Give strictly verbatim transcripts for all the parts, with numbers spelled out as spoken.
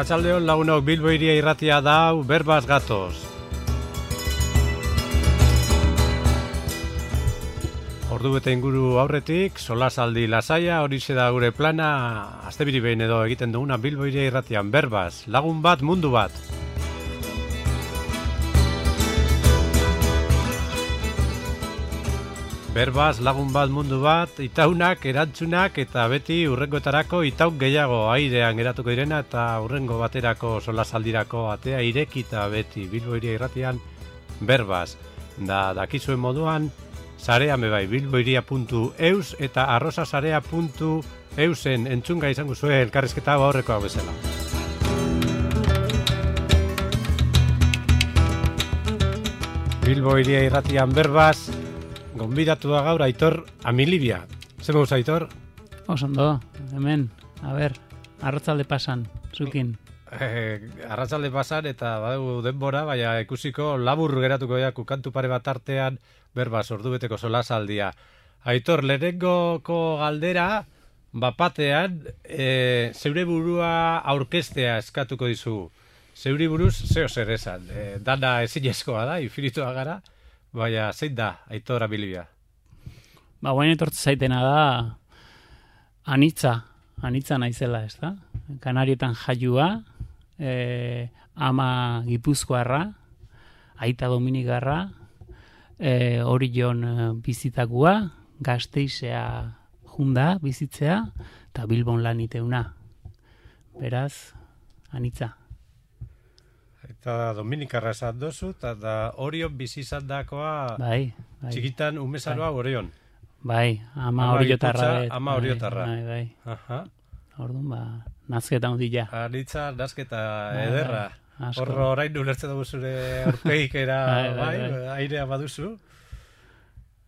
Arratsaldeon lagunok, Bilbo Hiria irratia da, berbaz gatoz. Ordu bete inguru aurretik, solasaldi lasaia, horixe da gure plana, astebiri behin edo egiten duguna Bilbo Hiria irratian, berbaz, lagun bat, mundu bat. Berbaz, lagun bat, mundu bat, itaunak, erantzunak eta beti urrengoetarako itauk gehiago airean geratuko direna eta urrengo baterako solasaldirako atea irekita beti Bilbo Hiria irratian berbaz. Da, dakizuen moduan, sarean bebai, bilbohiria puntu eus eta arrosasarea puntu eusen entzunga izango zuen elkarrizketa aurrekoa bezala. Bilbo Hiria irratian berbaz, gonbidatu da gaur Aitor Amilibia. Zer mouz, Aitor? Osondo, hemen, a ber, arratzalde pasan, zukin. Eh, arratzalde pasan eta badugu denbora, baina ikusiko labur geratuko jaku kantu pare bat artean berbaz ordubeteko solasaldia. Aitor, lehenengoko galdera, bapatean, e, zeure burua aurkestea eskatuko dizu. Zeuri buruz, zeo zer esan. E, dana ezinezkoa da, infinitua gara, baina zein da, Aitor Amilibia? Ba, guain etortze zaitena da, anitza, anitza naizela, ez da? Kanarietan jaiua, e, ama Gipuzkoarra, aita Dominikarra, e, Orion bizitakua, Gasteizea junda bizitzea, eta Bilbon lan iteuna. Beraz, anitza. Eta Dominikarra esan dozu, eta da Orion bizi izan dakoa, bai, bai, txikitan umezaroa bai. Orion. Bai, ama Oriotarra. Ama Oriotarra. Bai, bai. Aha. Orduan, ba, nazketa hundila. Anitza, nazketa bai, ederra. Bai, horro orain ulertzen dugu zure aurpegikera, bai, bai, bai, airea baduzu.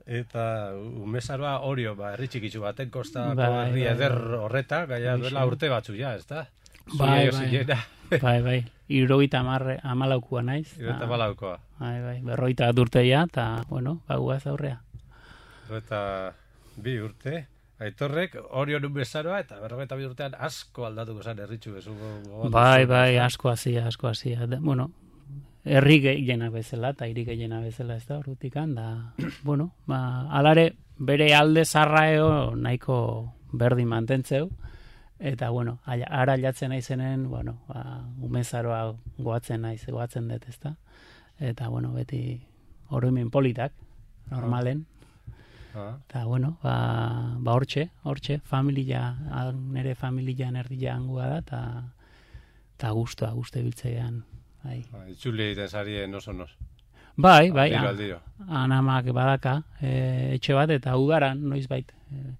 Eta umezaroa Orio, ba, herri txikitzu baten kostako bai, herri bai, eder horreta, gaia duela urte batzu ja, ez da? Bai, bai, bai, bai, irurogeita amalaukua naiz. Irurogeita amalaukoa. Bai, bai, berrogeita bat urteia, eta, bueno, baguaz aurrea. Eta bi urte, Aitorrek Orion umezaroa, eta berrogeita bi urtean asko aldatuko zen herritxu bezu. Bai, bai, asko hasia, asko hasia. Bueno, herri gehiena bezala, eta hiri gehiena bezala ez da, horretikan, da, bueno, ba, alare, bere alde zarraeo nahiko berdin mantentzeu, eta, bueno, ara jatzen naizenen, bueno, ba, umezaroa goatzen naiz, goatzen dut, ez da, eta, bueno, beti oroimen politak, normalen, ah. eta, bueno, ba, ba hortxe, hortxe, familia, nire familia nerdia angua da, eta, eta guztua, guztu ebiltzean, bai. Itxuli egiten zarien oso nos. Bai, bai, aldiro, aldiro. Anamak badaka, e, etxe bat, eta ugaran, noiz bait, e,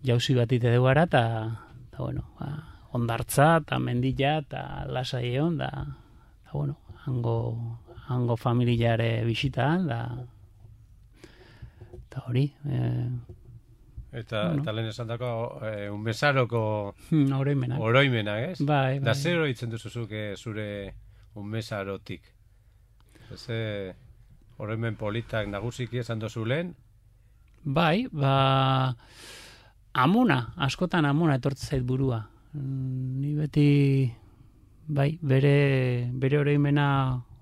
jauzi bat ite dugu gara, eta, bueno, ba, ondartza, eta mendila, eta lasai egon, da, eta, bueno, hango, hango familiare bisitaan, da, eta hori. E, eta, bueno. eta lehen esan dako, e, unbezaroko oroimenak. Oroimenak, ez? Bai, bai. Da zer horitzen duzuzuk zure unbezarotik? Ze oroimen politak nagusiki esan dozu lehen? Bai, ba... Amona, askotan amona etortze zait burua. Ni beti, bai, bere, bere oroimena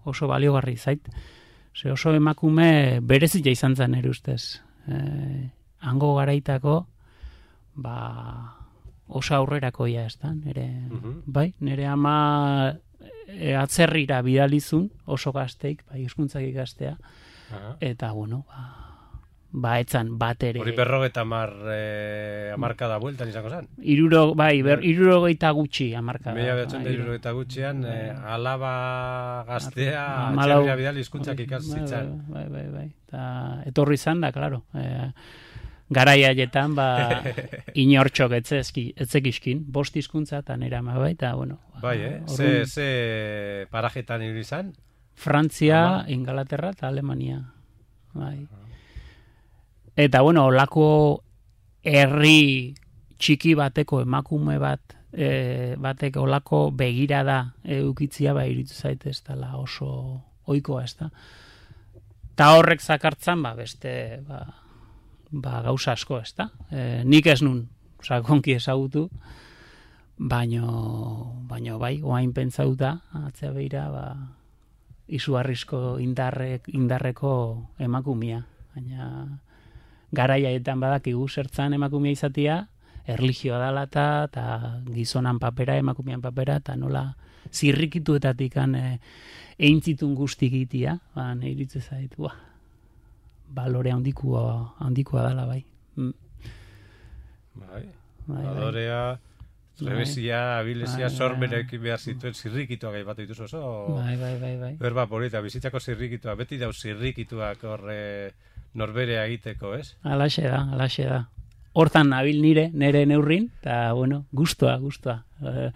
oso baliogarri zait. Ze oso emakume berezia izan zen ere ustez. E, hango garaitako, ba, oso aurrerakoia ez da. Nere, uh-huh. Bai, nere ama e, atzerrira bidalizun, oso gazteik, bai, euskuntzak ikastea. Uh-huh. Eta, bueno, ba, ba, etzan bat ere... Hori berrogeta amar, eh, amarkada bueltan izango zen? Iruro, bai, ber, irurogeita gutxi amarkada. Mila behatzen da irurogeita gutxian, eh, alaba gaztea, Amalau... atxerria bidal hizkuntzak ikazitzen. Bai, bai, bai, bai. Ta, etorri izan da, klaro. Eh, garai haietan, ba, inortxok etzekiskin, bost hizkuntza eta nera ma bai, eta, bueno... Ba, bai, eh? Orrun... Ze, ze parajetan hiri izan? Frantzia, Ama. Ingalaterra eta Alemania. Bai. Eta, bueno, olako herri txiki bateko emakume bat, e, batek olako begirada eukitzia, ba, iritu zaitez, dela oso ohikoa, ez da. Ta horrek zakartzan, ba, beste, ba, ba, gauza asko, ez da. E, nik ez nun, sakonki ezagutu, baino, baino bai, oain pentsauta, atzea beira, ba, izugarrizko indarrek, indarreko emakumia. Baina garaiaetan badakigu zertzan emakumia izatia, erlijioa dala eta, eta gizonan papera, emakumean papera, eta nola zirrikituetatik e, eintzitun guztik itia, ba, nahi iritze zait, ba, balore handikoa, handikoa dala bai. Mm. Bai, bai, balorea, trebezia, abilezia, bai, sormerekin behar zituen zirrikituak aipatu dituzu oso. Bai, bai, bai, bai. Berba polita, bizitzako zirrikitua, beti dauz zirrikituak horre norberea egiteko, ez? Alaxe da, alaxe da. Hortan nabil nire, nire neurrin, eta, bueno, guztua, guztua. E,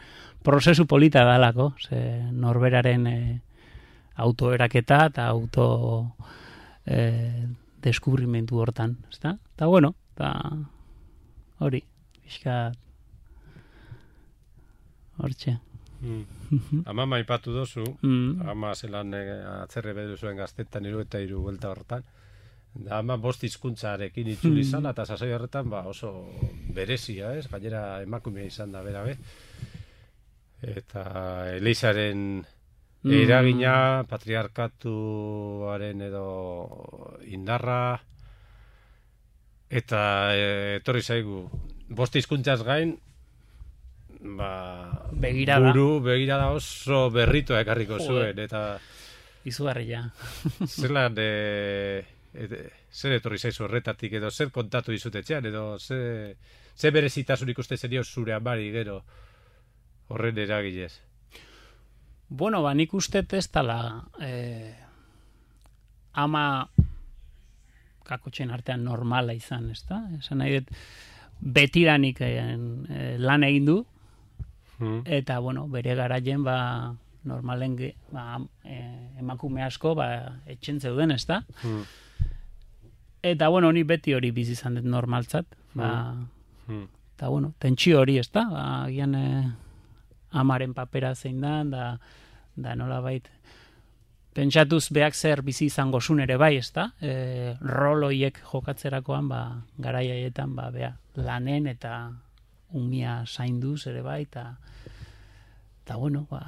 prozesu polita dalako, ze norberaren e, autoeraketa eta auto e, deskubrimentu hortan, ezta? Eta, bueno, eta hori, pixka hortxe. Mm. Ama maipatu dozu, Mm. ama zelan e, atzerre bedu zuen gaztetan iru eta iru buelta hortan. Da, ama bost hizkuntzarekin itzuli izan, eta sasoi horretan ba, oso berezia, ez? Gainera emakumea izan da, bera, be. Eta Elizaren Mm. eragina, patriarkatuaren edo indarra, eta e, etorri zaigu, bost hizkuntzaz gain, ba, Begirada. buru, begirada oso berritua ekarriko zuen, eta Izugarria. zelan, e, et, zer etorri zaizu horretatik, edo zer kontatu dizutetxean, edo ze, ze berezitasunik uste zenio zure amari gero horren eragilez. Bueno, ba, nik uste ez dala eh, ama kakotxen artean normala izan, ez da? Esan nahi dut, betidanik eh, lan egin du, Hmm. eta, bueno, bere garaien, ba, normalen ge, ba, eh, emakume asko, ba, etxen zeuden, ez da? Hmm. Eta, bueno, ni beti hori bizi izan dut normaltzat, ba, Hmm. eta, bueno, tentsio hori, ez da? Ba, agian eh, amaren papera zein da, da, da nola bait, pentsatuz beak zer bizi izango zun ere bai, ez da? E, roloiek jokatzerakoan, ba, garaiaietan, ba, bea, lanen eta umia zainduz ere bai, eta, eta bueno, ba,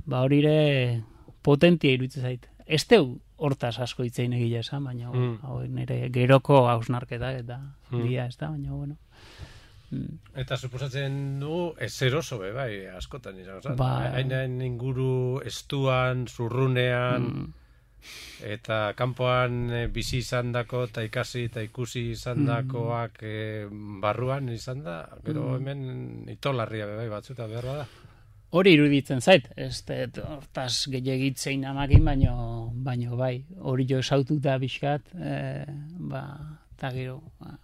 ba hori ere potentia iruditzen zait. Ez teu hortaz asko hitzein egile esan, baina Mm. hau nire geroko hausnarketa eta Mm. dia, ez da, baina bueno. Mm. Eta suposatzen du ezer oso be, bai, askotan izan. Oza, Ba- hain inguru estuan, zurrunean, Mm. eta kanpoan e, bizi izandako eta ikasi eta ikusi izandakoak e, barruan izan da, gero Mm. hemen itolarria be, bai, batzuta behar bada. Hori iruditzen zait, ez dut hortaz gehiagitzein amakin, baino, baino bai, hori jo esaututa bizkat, e, ba, eta gero, ba,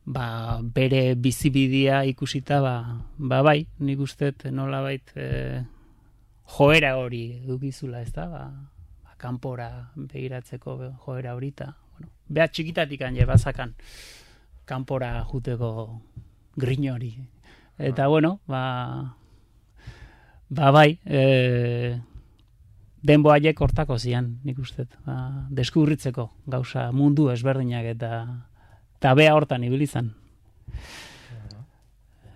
ba, bere bizibidia ikusita, ba, ba bai, nik usteet nolabait e, joera hori dukizula, ez da, ba, ba, kanpora begiratzeko joera hori, eta, bueno, beha txikitatik anje bazakan kanpora juteko grin hori. Eta, bueno, ba, ba bai, e, denboaiek hortako zian, nik uste, ba, deskubritzeko gauza mundu ezberdinak eta eta bea hortan ibilizan.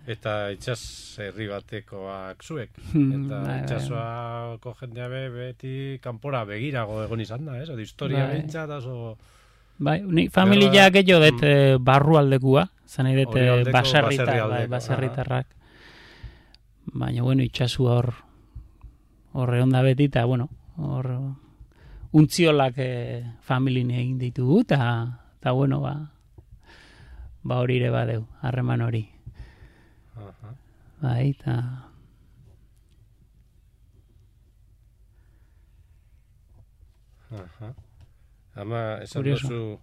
Eta itxas herri batekoak zuek. Hmm, Eta bai, bai. itxasoako jendea be, beti kanpora begirago egon izan da, ez? Odi historia Bai. behintzat oso... Bai, ni familia gehiago dut mm. barrualdekua, zan nahi dut Horialdeko, baserritar, baserrialdeko, bai, baserritarrak. Baina, bueno, itxasu hor horre onda beti, eta, bueno, hor untziolak eh, familin egin ditugu, eta, bueno, ba, ba hori ere badeu, harreman hori. Aha. Bai, eta... Aha. Ama, esan Curioso. duzu,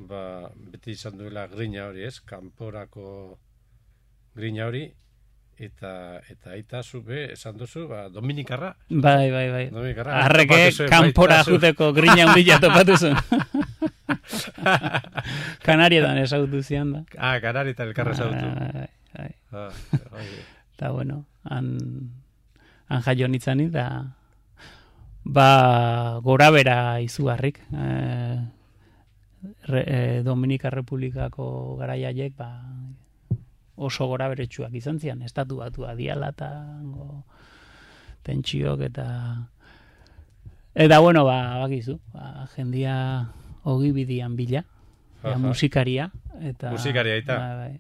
ba, beti izan duela grina hori, ez? Kanporako grina hori, eta eta aita zu be, esan duzu, ba, Dominikarra. Bai, bai, bai. Dominikarra. Arreke topatu zuen kanpora baita zu. juteko grina handia topatu zuen. Kanarietan ezagutu zian da. Ah, Kanarietan elkarra zautu. Bai, bai. Ah, oie. Eta, bueno, han, han jaio nitzani, da, ba, gora bera izugarrik. E, re, e, Dominika Republikako garaiaiek, ba, oso gora beretsuak izan zian, estatu batua diala eta tentsiok eta eta bueno, ba, bakizu, ba, jendia ogibidian bila, ja, musikaria eta musikaria eta ba, bai.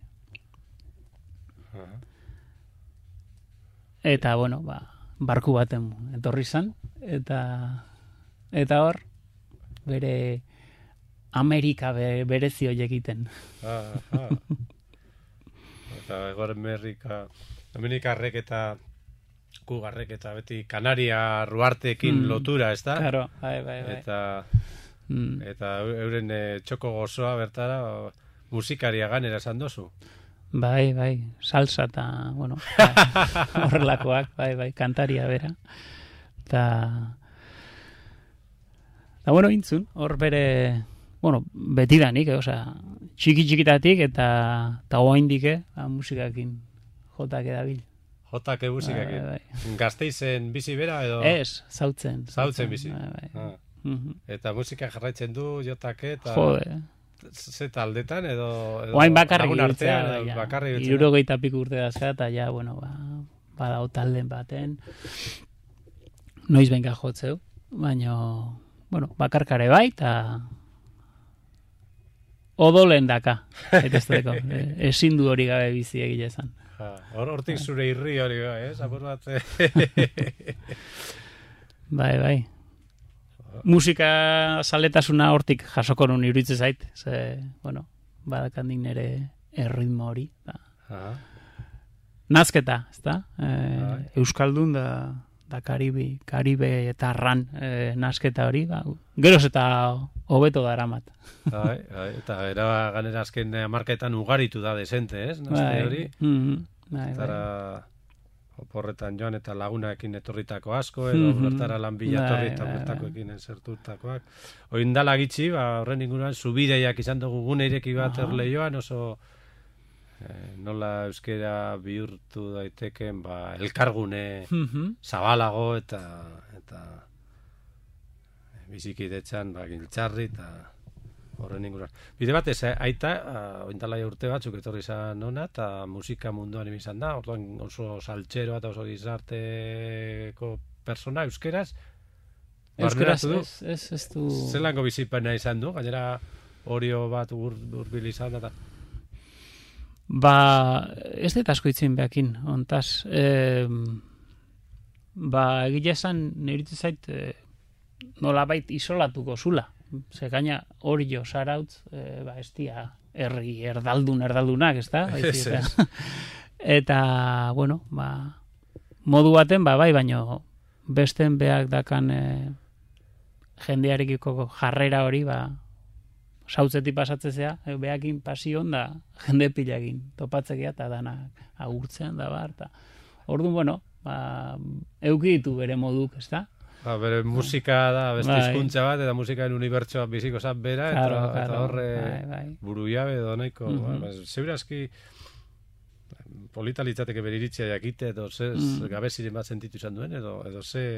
Eta bueno, ba, barku baten etorri zan eta eta hor bere Amerika be, berezi horiek egiten. Ah, ah. Eta egor Amerika, Amerikarrek eta kugarrek eta beti Kanaria ruarteekin mm. lotura, ez da? Claro, bai, bai, bai. Eta, mm. eta euren e, txoko gozoa bertara o, musikaria ganera esan dozu. Bai, bai, salsa eta, bueno, horrelakoak, bai, bai, kantaria bera. Eta, eta bueno, intzun, hor bere... Bueno, betidanik, eh, osea, txiki-txikitatik eta eta oaindik eh, musikakin jotak edabil. Jotak musikakin. Bai, bai. Gasteizen bizi bera edo? Ez, zautzen. Zautzen bizi. Bai, bai. Ah. Mm-hmm. Eta musika jarraitzen du jotake eta... Jode. Ze taldetan edo... edo oain bakarrik irtzea, bai, bakarrik irtzea. Irurogeita piku urte dazka eta ja, bueno, ba, badao talden baten. Noiz benka jotzeu, baina, bueno, bakarkare bai, eta... Odolen daka, etesteko. Ezin du hori gabe bizi egile esan. Hor hortik zure irri hori bai, eh? Zapur bat. Bai, bai. Musika zaletasuna hortik jasoko nun iruditzen zait. Ze, bueno, badakandik nere erritmo hori. Da. Nazketa, ez da? E, Euskaldun da... da Karibi, Karibe eta Arran e, nasketa hori, ba, geroz eta hobeto da eramat. Bai, bai, eta era ganera azken hamarkaetan ugaritu da desente, ez? Naste hori. Mm-hmm, bai, Zara oporretan joan eta lagunaekin etorritako asko, edo mm-hmm, bertara lan bilatorri eta bertakoekin zertutakoak. Oindala gitxi, ba, horren inguruan, zubideiak izan dugu gune ireki bat erleioan, oso... Eh, nola euskera bihurtu daiteken ba, elkargune mm-hmm. zabalago eta eta bizikidetzan ba, giltzarri eta horren inguruan. Bide batez, eh, aita, ointala urte batzuk etorri izan ona eta musika munduan izan da, orduan oso saltxero eta oso gizarteko persona euskeraz. Euskeraz ez, ez, ez du... Zelango bizipena izan du, gainera orio bat urbil izan da. Ba, ez dut asko itzin behakin, ontaz. E, ba, egile esan, niritu zait, e, nolabait isolatuko zula. Ze gaina hori jo, zarautz, e, ba, ez dia, erri, erdaldun, erdaldunak, ez da? Ez, ez. Eta, bueno, ba, modu baten, ba, bai, baino, besten behak dakan e, jendearekiko jarrera hori, ba, sautzetik pasatzezea, behakin pasion da jende pilagin, topatzekia eta danak agurtzean da bar. Orduan, bueno, ba, euki ditu bere moduk, ez da? Ba, bere musika da, beste hizkuntza bat, eta musikaren unibertsoa biziko zat bera, eta, claro, claro, eta horre bai, bai. buru jabe edo nahiko. Mm-hmm. Ba, zeurazki polita litzateke bere iritzia jakite, edo ze mm. gabeziren bat sentitu izan duen, edo, edo ze...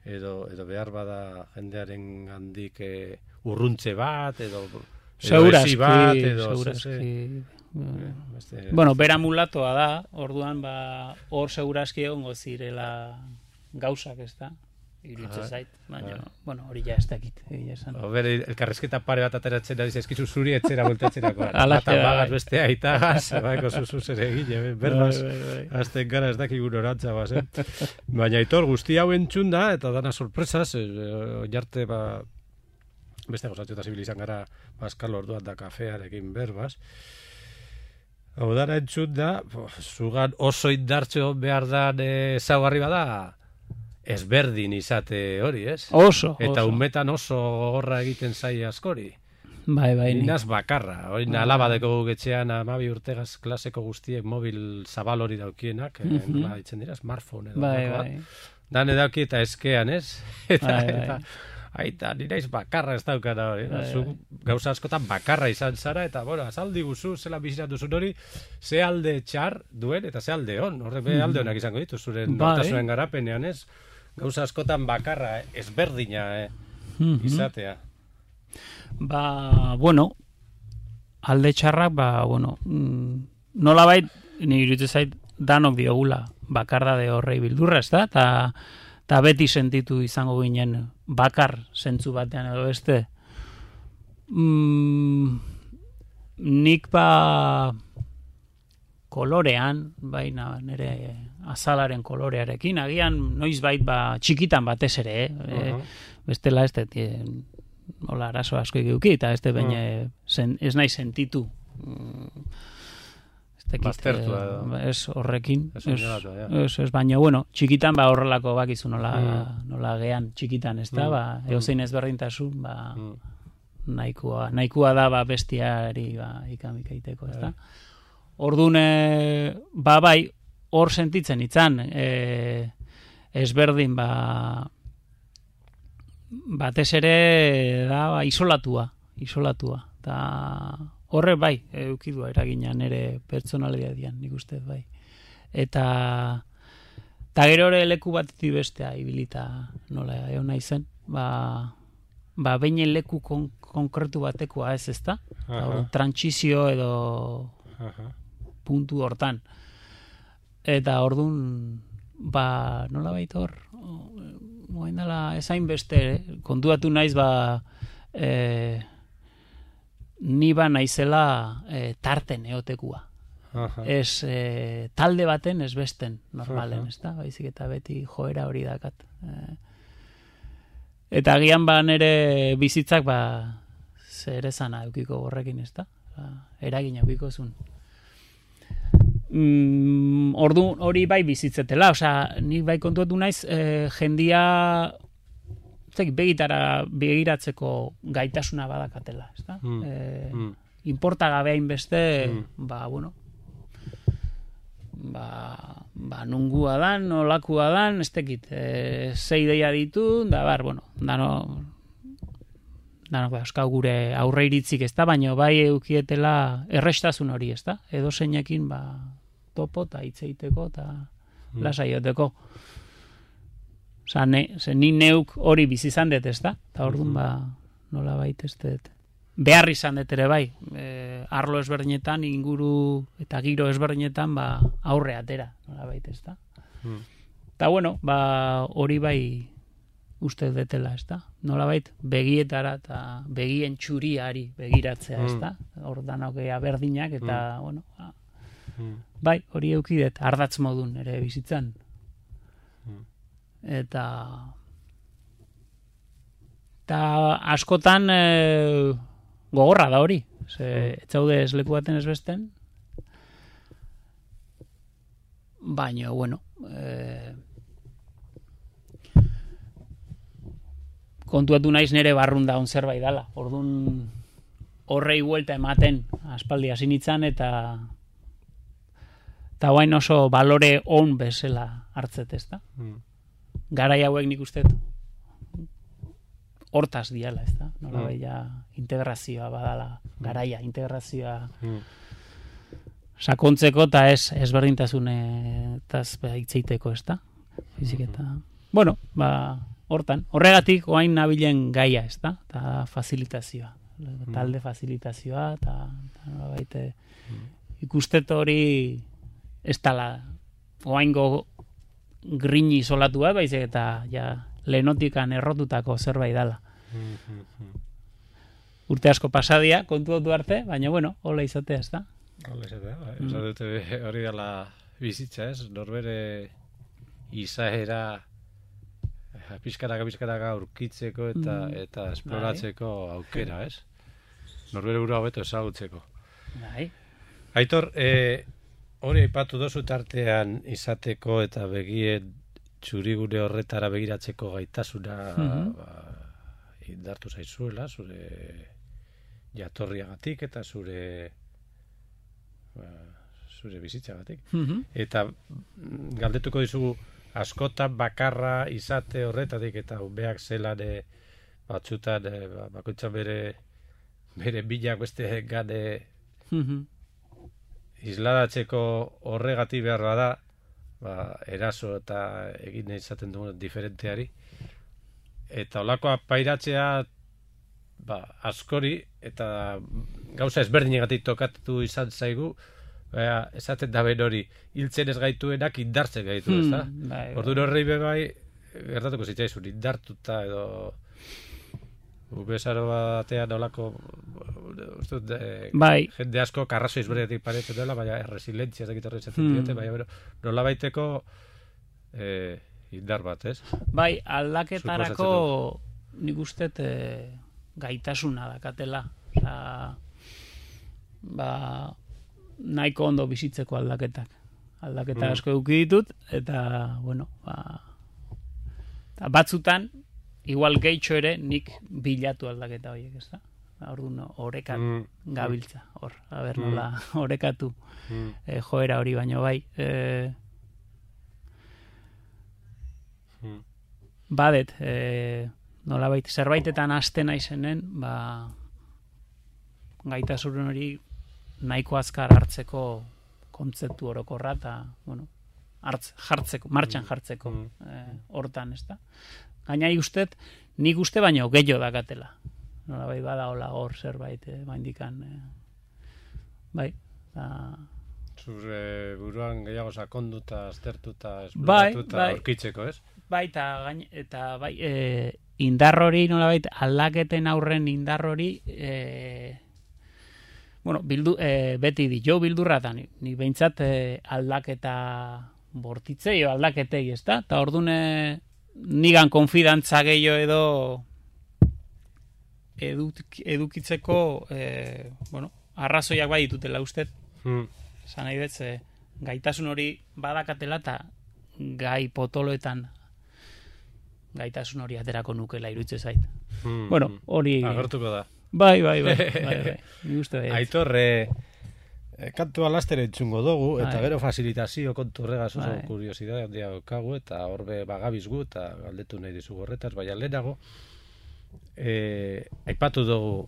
Edo, edo behar bada jendearen handik e, urruntze bat, edo, edo esi bat, edo... Segurazki, Beste... Bueno, bera mulatoa da, orduan, ba, hor segurazki egongo zirela gauzak, ez da? Iruditzen zait, baina, bueno, hori ja ez dakit. Bere, elkarrezketa pare bat ateratzen ari zaizkizu zuri etzera voltatzerako. Bata bagaz beste aitagaz, baiko zuzu zere egile, berbaz, azten gara ez dakigun orantza baz, eh? Baina Aitor, guzti hau entzun da, eta dana sorpresaz, oinarte, ba, beste gozatxo eta zibil izan gara, Pascal orduan da kafearekin berbaz. Hau dara entzun da, zugan oso indartxo behar dan ezaugarri bada, ezberdin izate hori, ez? Oso, eta oso. Umetan oso gogorra egiten zai askori. Bai, bai. Inaz bakarra. Hori alabadeko getxean amabi urtegaz klaseko guztiek mobil zabal hori daukienak, mm -hmm. nola ditzen dira, smartphone edo. Bai, bai. Dan edauki eta eskean, ez? Eta, bai, bai. eta aita, niraiz bakarra ez daukana hori. Bai, bai. Gauza askotan bakarra izan zara, eta, bueno, azaldi guzu, zela bizitzatu zuen hori, ze alde txar duen, eta ze alde hon. Horre, be alde honak izango ditu, zuren bai. nortasunen garapenean, ez? Gauza askotan bakarra, ezberdina, eh, mm-hmm. izatea. Ba, bueno, alde txarrak, ba, bueno, mm, nolabait, ni iruditzen zait, danok diogula bakardade horrei bildurra, ez da? Ta, ta beti sentitu izango ginen bakar zentzu batean edo beste. Mm, nik ba kolorean, baina nire azalaren kolorearekin, agian noizbait ba txikitan batez ere, eh? Uh-huh. E, bestela ez dut, hola arazo asko egiuki, eta ez, uh-huh. zen, ez nahi sentitu. Baztertu ez horrekin, ez, ez, ez, baina, bueno, txikitan ba horrelako bakizu nola, mm. nola gean txikitan, ez da, mm. ba, eozein ezberdintasun, ba, mm. nahikoa, nahikoa da ba bestiari ba, ikamikaiteko, ez da. Orduan, ba, bai, hor sentitzen itzan, e, ezberdin, ba, batez ere, da, ba, isolatua, isolatua, eta horre bai, eukidua eragina nire pertsonalidadian, nik uste bai. Eta, eta gero ere leku bat bestea ibilita nola egon nahi zen, ba, ba behin leku kon, konkretu batekoa ez ezta, trantsizio edo Aha. puntu hortan. Eta ordun ba, nola baita hor, moen dela ezain beste, kontuatu naiz ba, e, ni ba naizela e, tarten eotekua. Aha. Ez e, talde baten ez besten normalen, ez da? Baizik eta beti joera hori dakat. E, eta agian ba nere bizitzak ba zer esana eukiko horrekin, ez da? Ba, eragin eukiko zuen. Mm, ordu hori bai bizitzetela, osea, nik bai kontuatu naiz e, jendia begitara begiratzeko gaitasuna badakatela, ezta? Mm. E, mm. Inporta gabe hainbeste, mm. ba, bueno, ba, ba nungua dan, nolakua dan, ez tekit, e, zei deia ditu, da bar, bueno, dano, dano, euskau gure aurre iritzik, ez da, baina bai eukietela errestasun hori, ez da? Edo zeinekin, ba, topo eta hitzeiteko eta mm. lasaioteko. Osa, ne, ze, ni neuk hori bizi izan dut, ez da? Eta orduan, ba, nola baita ez dut. Behar izan dut ere bai, e, arlo ezberdinetan, inguru eta giro ezberdinetan, ba, aurre atera, nola baita ez da? Eta, mm. bueno, ba, hori bai uste detela, ez da? Nola baita, begietara eta begien txuriari begiratzea, ez da? Hor danokea berdinak, eta, mm. bueno, ba, mm. bai, hori eukidet, ardatz modun ere bizitzan. Eta eta askotan e, gogorra da hori. Ze, ez zaude ez leku baten ez besten. Baina, bueno, e, kontuatu naiz nere barrun daun zerbait dala. Orduan horrei buelta ematen aspaldi hasi nitzan eta eta guain oso balore on bezala hartzet, ez da? Mm. Garai hauek nik uste hortaz diala, ez da? Nola mm. ja integrazioa badala, garaia, integrazioa mm. sakontzeko eta ez ezberdintasunetaz hitzeiteko, ez da? Fizik eta, mm-hmm. bueno, ba, hortan, horregatik oain nabilen gaia, ez da? Eta facilitazioa, mm. talde facilitazioa, eta nola baite mm. ikustet hori ez tala, oaingo grini solatua, baizik eta ja, lehenotikan errotutako zerbait dala. Mm-hmm. Urte asko pasadia, kontu dutu arte, baina, bueno, hola izatea, ez da? Hola izatea, mm. dute hori dela bizitza, ez? Norbere izaera pizkaraka pizkaraka aurkitzeko eta mm. eta esploratzeko bai. Aukera, ez? Norbere burua hobeto ezagutzeko. Bai. Aitor, eh, hori aipatu dozu tartean izateko eta begien txurigune horretara begiratzeko gaitasuna mm-hmm. ba, indartu zaizuela, zure jatorriagatik eta zure ba, zure bizitzagatik. Mm-hmm. Eta galdetuko dizugu askotan bakarra izate horretatik eta umeak zelan e, batzutan e, bakoitzan bere bere bilak beste gane mm-hmm. isladatzeko horregati behar bada, ba, eraso eta egin izaten dugu diferenteari. Eta olakoa pairatzea ba, askori eta gauza ezberdinegatik tokatu izan zaigu, Baina, esaten da ben hori, hiltzen ez gaituenak indartzen gaitu, ez da? Hmm, bai, Orduan horrei be bai, gertatuko zitzaizun, indartuta edo... Ubezaro batean olako uste dut, eh, bai. jende asko karrazo izberetik paretzen dela, baina resilientzia ez dakit horre izaten Hmm. diote, baina bueno, nola baiteko eh, indar bat, ez? Bai, aldaketarako Suposatzen nik uste eh, gaitasuna dakatela. Osa, ba, nahiko ondo bizitzeko aldaketak. Aldaketa Mm. asko eduki ditut, eta, bueno, ba, eta batzutan, igual gehitxo ere nik bilatu aldaketa horiek, ez da? Orduan orekan Mm. gabiltza, hor, a ber, Mm. nola orekatu Mm. eh, joera hori, baino bai. Eh, Mm. badet, eh, nolabait, zerbaitetan hasten naizenen, ba, gaitasun hori nahiko azkar hartzeko kontzeptu orokorra, eta, bueno, hartz, jartzeko, martxan jartzeko, Mm. eh, hortan, ez da? Gaina ustet, nik uste baino gehiago dakatela. Nolabait bada hola hor zerbait, eh, baindikan, eh, bai, da... Zure buruan gehiago sakonduta, aztertuta, Bai, esploratuta bai. aurkitzeko, ez? Bai, eta, gain, eta bai, e, indar hori, nolabait, aldaketen aurren indar hori, e, bueno, bildu, e, beti di, jo bildurra da, ni, ni behintzat e, aldaketa bortitzei, o aldaketei, ez da? Eta orduan e, nigan konfidantza gehiago edo eduk, edukitzeko, e, bueno, arrazoiak bai ditutela ustet, Hmm. esan nahi dut, ze, gaitasun hori badakatela eta gai potoloetan gaitasun hori aterako nukela irutze zait. Hmm. Bueno, hori... Agertuko da. Bai, bai, bai. bai, bai. Ni uste bai. Aitor, eh, eh, kantua laster entzungo dugu, eta Bai. gero fasilitazio kontu horregaz oso Bai. kuriosidade handia daukagu, eta horbe bagabizgu, eta galdetu nahi dizugu horretaz, baina lehenago, eh, aipatu dugu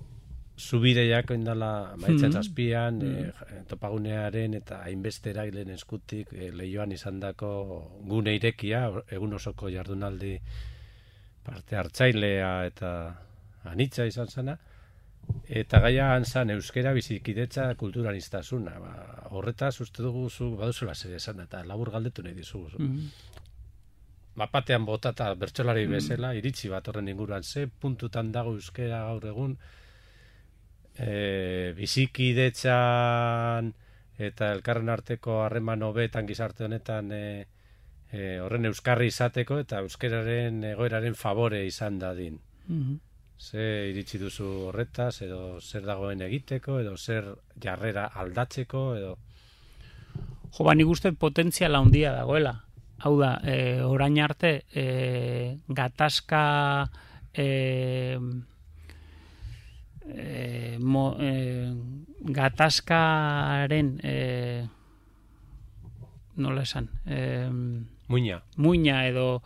zubireiak indala maitzen Mhm. zazpian, eh, topagunearen eta hainbeste eragilen eskutik eh, lehioan izandako gune irekia, egun osoko jardunaldi parte hartzailea eta anitza izan zana, eta gaia zan euskera bizikidetza kulturanistasuna. Ba, horretaz uste dugu zu baduzula zer esan, eta labur galdetu nahi dizugu. Mhm. Bapatean botata bertsolari bezala, iritzi bat horren inguruan, ze puntutan dago euskera gaur egun, e, bizikidetzan eta elkarren arteko harreman hobetan gizarte honetan e, e, horren euskarri izateko eta euskeraren egoeraren favore izan dadin. Mhm. Ze iritsi duzu horretaz, edo zer dagoen egiteko, edo zer jarrera aldatzeko, edo... Jo, ba, nik uste potentziala handia dagoela. Hau da, e, orain arte, e, gatazka e, e, mo, e, gatazkaren e, nola esan e, Muina. muina edo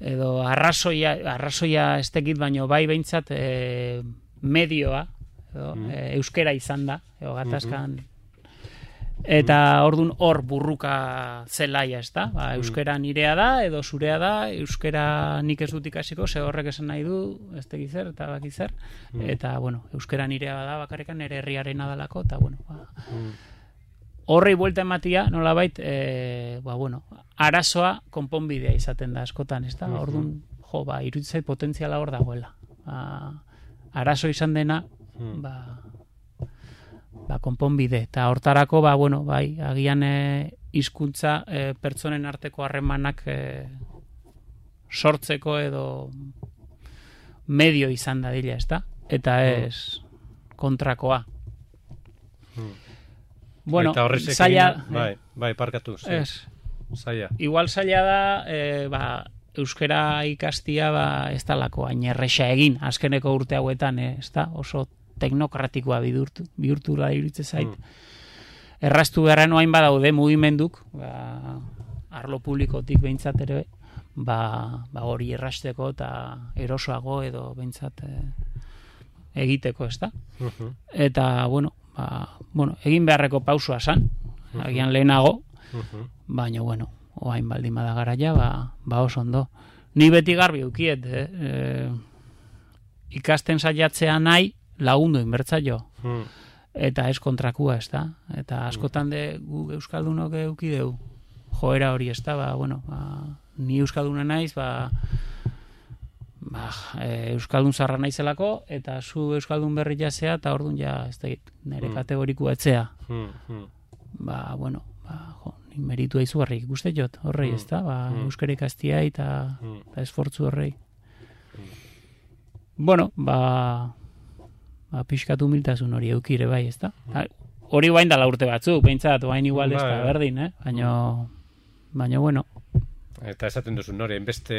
edo arrazoia, arrazoia ez tekit baino bai behintzat e, medioa edo, Mhm. e, euskera izan da, edo gatazkan eta ordun hor burruka zelaia, ez da? Ba, euskera nirea da, edo zurea da, euskera nik ez dut ikasiko, ze horrek esan nahi du, ez tekit zer, eta baki zer, Mm. eta, bueno, euskera nirea da bakarrekan nire herriarena dalako, eta, bueno, ba, Mm. horrei buelta ematia, nolabait, e, ba, bueno, arazoa konponbidea izaten da askotan, ez da? Mhm. Orduan, jo, ba, iruditzait potentziala hor dagoela. Ba, arazo izan dena, Mm. ba, ba, konponbide. Eta hortarako, ba, bueno, bai, agian e, hizkuntza e, pertsonen arteko harremanak e, sortzeko edo medio izan da dila, ez da? Eta ez kontrakoa. Mm. Bueno, Eta horrezekin, zaila... bai, bai, parkatu, zi, Ez, zaila. igual zaila da, e, ba, euskera ikastia ba, ez dalako hain erresa egin, azkeneko urte hauetan, e, ez da, oso teknokratikoa bihurtu, bihurtu da iruditzen zait. Mm. Erraztu beharren oain badaude mugimenduk, ba, arlo publikotik behintzat ere, ba, ba hori errasteko eta erosoago edo behintzat e, egiteko, ez da? Mhm. Eta, bueno, ba, bueno, egin beharreko pausua san, agian lehenago, Mhm. baina, bueno, oain baldin bada garaia, ba, ba oso ondo. Ni beti garbi ukiet, eh? E, ikasten saiatzea nahi, lagundu inbertzaio. Mm. eta ez kontrakua, ez da? Eta askotan de gu euskaldunok eduki deu joera hori, ez da? Ba, bueno, ba, ni euskalduna naiz, ba, ba, e, euskaldun zarra naizelako, eta zu euskaldun berri jasea, eta orduan ja, ez da, nire kategorikua etzea. Ba, bueno, ba, jo, ni meritu aizu harrik ikuste jot, horrei, ez da? Ba, euskara ikastia eta, eta esfortzu horrei. Bueno, ba, ba pixkatu humiltasun hori eukire bai, ez da? Hori bain dala urte batzuk, behintzat, bain igual ez da berdin, eh? Baina, baina, bueno. Eta esaten duzu, nore, enbeste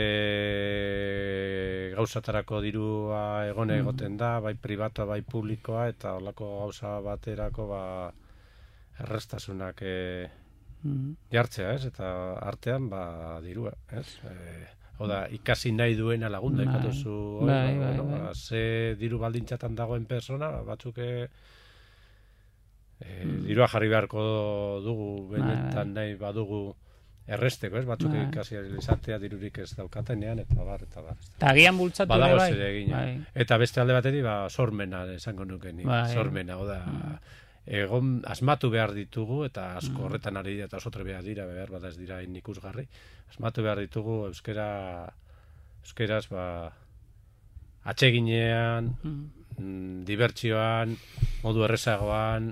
gauzatarako dirua egone egoten da, bai pribatoa, bai publikoa, eta holako gauza baterako, ba, errestasunak e, jartzea, ez? Eta artean, ba, dirua, ez? E, Oda, ikasi nahi duena lagunda, ikatuzu, bai, bai, bai, bai. Ze diru baldintzatan dagoen persona, batzuk e, mm. dirua jarri beharko dugu, benetan bai, nahi badugu erresteko, ez? Batzuk bai. Ikasi izatea dirurik ez daukatenean, eta bar, eta bar. Eta agian bultzatu ere bai. Bai. Eta beste alde bateri, ba, sormena, esango nuke ni, bai. Sormena, oda... Mm. Egon asmatu behar ditugu, eta asko horretan ari dira, eta oso trebea dira, behar bada ez dira ikusgarri, asmatu behar ditugu euskera, euskeraz, ba, atseginean, mm. dibertsioan, modu errezagoan,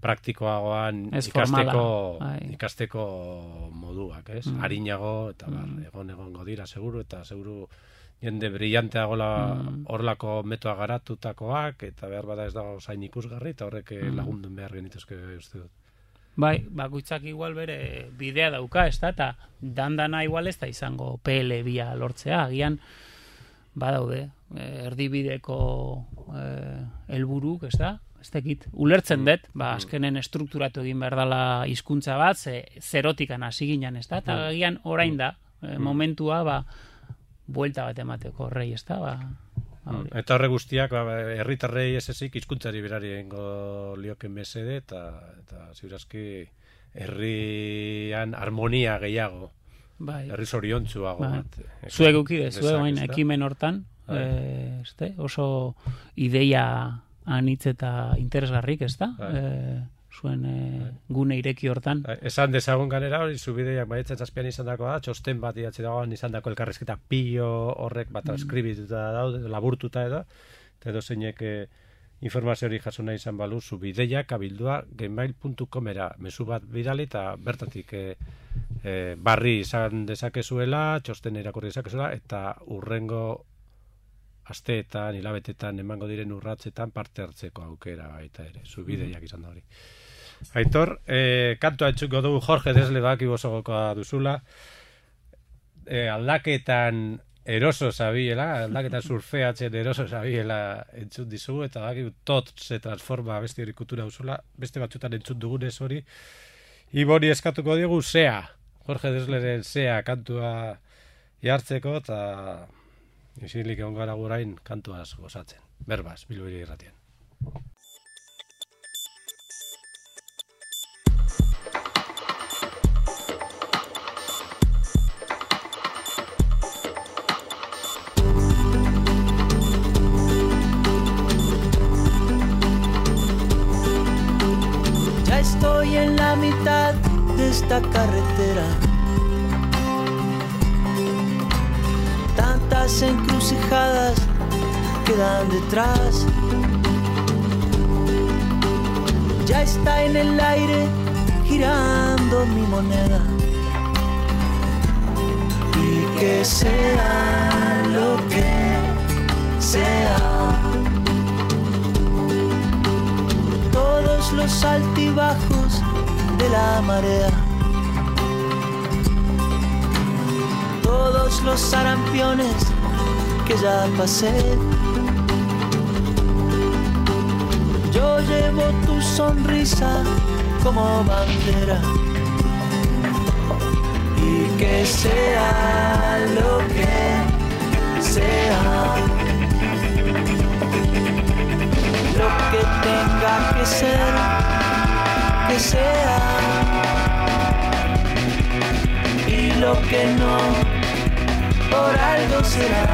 praktikoagoan, ikasteko, ikasteko moduak, ez? Mm. Arinago, eta bar, mm. egon egongo dira, seguru, eta seguru jende brillanteagola horlako mm. metoa garatutakoak, eta behar bada ez dago zain ikusgarri, eta horrek mm. lagundun behar genituzke uste dut. Bai, bakoitzak igual bere bidea dauka, ez da, eta dandana igual ez da izango P L bia lortzea, agian badaude, erdibideko helburuk, ez da, ez dakit, ulertzen dut, ba, azkenen estrukturatu egin behar dela hizkuntza bat, ze, zerotikan hasi ginen, ez da, eta agian orain da, momentua, ba, buelta bat emateko horrei, ez da, ba... Eta horre guztiak, herritarrei ez ezik, hizkuntzari berari egingo lioken mesede, eta, eta ziurazki herrian harmonia gehiago, bai. Herri zoriontzuago bai. Bat. Zuek ukide, zuek bain ekimen hortan, bai. e, este, oso ideia anitz eta interesgarrik, ez da? Bai. E, zuen e, gune ireki hortan. Esan dezagun ganera hori, zubideiak maiatzen zazpian izan dagoa, txosten bat idatzi dagoan izan dako elkarrezketa pio horrek bat transkribituta daude, laburtuta edo, eta edo zeinek e, informazio hori jaso nahi izan balu, zubideiak abildua gmail puntu comera mezu bat bidali eta bertatik e, e, barri izan dezakezuela, txosten irakurri dezakezuela, eta urrengo asteetan, hilabetetan, emango diren urratzetan parte hartzeko aukera baita ere, zubideiak izan da hori. Aitor, eh, kantua entzuko dugu Jorge Desle baki bosogokoa duzula, eh, aldaketan eroso zabiela, aldaketan surfeatzen eroso zabiela entzun dizugu, eta baki tot se transforma beste hori kultura duzula, beste batzutan entzun dugunez hori, Ibori eskatuko digu Sea, Jorge Desleren Sea kantua jartzeko, eta isilik egon gara gurain kantuaz gozatzen. Berbaz, Bilbiri irratian. Ya estoy en la mitad de esta carretera. Tantas encrucijadas quedan detrás. Ya está en el aire girando mi moneda. Y que sea lo que sea, todos los altibajos de la marea, todos los sarampiones que ya pasé, yo llevo tu sonrisa como bandera. Y que sea lo que sea, lo que tenga que ser, que sea, y lo que no, por algo será.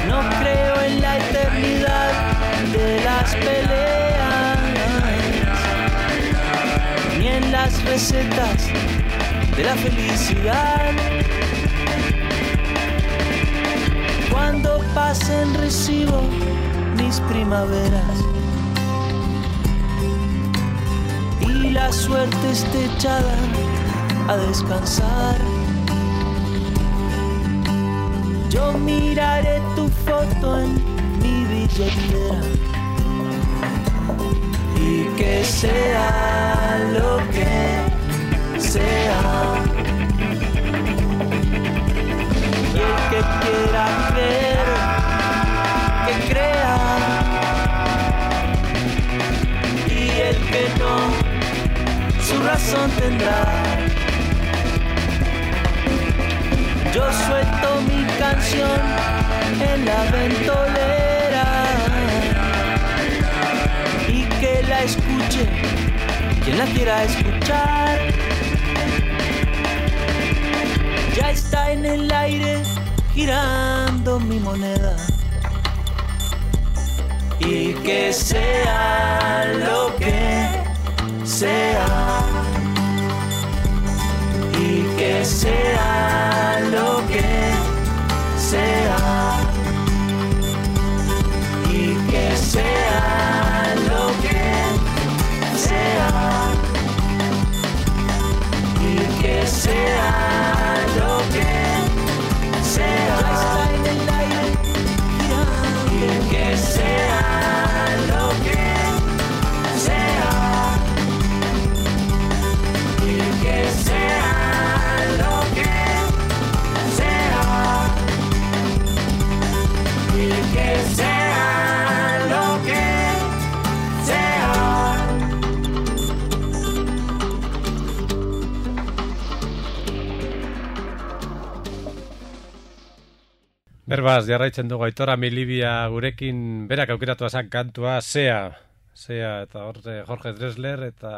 No creo en la eternidad las peleas, ni en las recetas de la felicidad. Cuando pasen recibo mis primaveras y la suerte esté echada a descansar. Yo miraré tu foto en mi billetera y que sea lo que sea. Y el que quiera creer, que crea. Y el que no, su razón tendrá. Yo suelto mi canción en la ventolera y que la escuche quien la quiera escuchar. Ya está en el aire girando mi moneda y que sea lo que sea. Y que sea lo que sea. Y que sea lo que sea. Y que sea lo que sea. Está en el aire girando. Y que sea lo que sea. Y que sea. Que sea lo que sea. Berbaz, jarraitzen dugu Aitor Amilibia gurekin, berak aukeratu azan kantua, Sea. Sea, eta hor Jorge Drexler, eta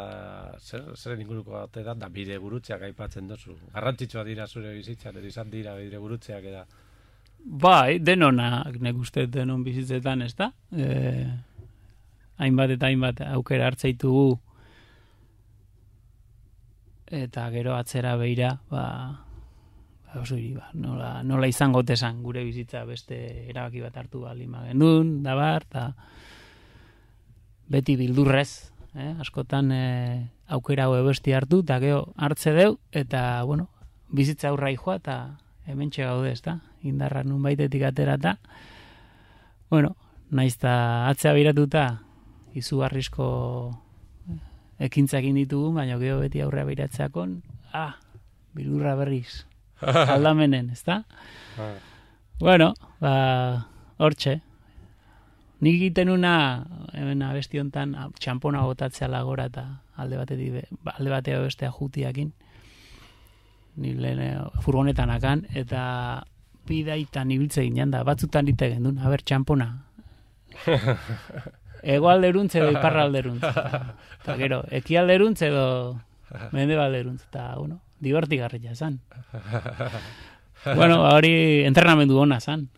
zer, zer inguruko batean da bide gurutzeak aipatzen dozu. Garrantzitsua dira zure bizitzan, izan dira bide gurutzeak eta... Bai, denonak, nek uste denon bizitzetan, ez da? E, hainbat eta hainbat aukera hartzaitugu eta gero atzera beira, ba, oso hiri, ba, nola, nola izango tesan gure bizitza beste erabaki bat hartu baldin bagenuen, da bar, eta beti bildurrez, eh? Askotan e, aukera hau besti hartu, eta gero hartze deu, eta, bueno, bizitza aurrai joa, eta hementxe gaude, ez da? Indarra nun baitetik aterata. Bueno, naizta atzea biratuta izugarrizko ekintzakin ditugu, baina gero beti aurrea biratzeakon, ah, bilurra berriz, aldamenen, ez da? Bueno, ba, hortxe. Nik egiten una, hemen abesti hontan, txampona botatzea lagora eta alde batetik, alde batea bestea jutiakin. Ni lehen furgonetan akan, eta bidaitan ibiltze ginen da, batzutan dite gendun, haber, txampona. Ego alderuntz edo iparra alderuntz. Eta gero, eki alderuntz edo mende alderuntz. Eta, bueno, divertigarria zan. Bueno, hori entrenamendu ona zan.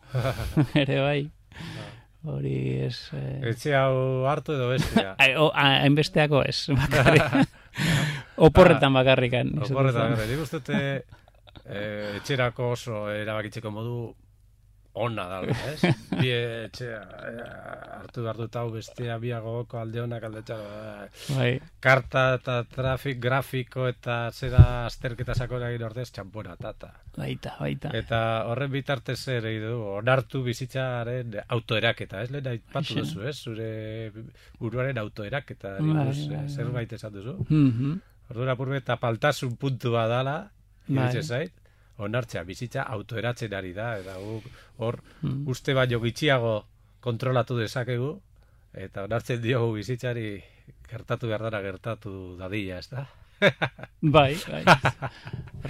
Ere bai. Hori ez... Eh... Etxe hau hartu edo bestea? Hainbesteako ez, bakarrik. Oporretan bakarrikan. Oporretan bakarrik. Nik ustute... E, etxerako oso erabakitzeko modu ona da, ez? Bi etxea e, hartu behar dut hau bestea biagoko alde honak alde txaro. Bai. Karta eta trafik, grafiko eta zera azterketa sakora egin ordez txampona, tata. Baita, baita. Eta horren bitartez zer egin du, onartu bizitzaren autoeraketa, ez? Lehen aipatu duzu, ez? Zure buruaren autoeraketa, bai, zerbait esan duzu. Mm-hmm. Ordura purbe eta paltasun puntua dala, bai. Zait, onartzea, bizitza autoeratzen ari da, eta hor mm. uste baino gitxiago kontrolatu dezakegu, eta onartzen diogu bizitzari gertatu behar dara gertatu dadila, ez da? Bai, bai.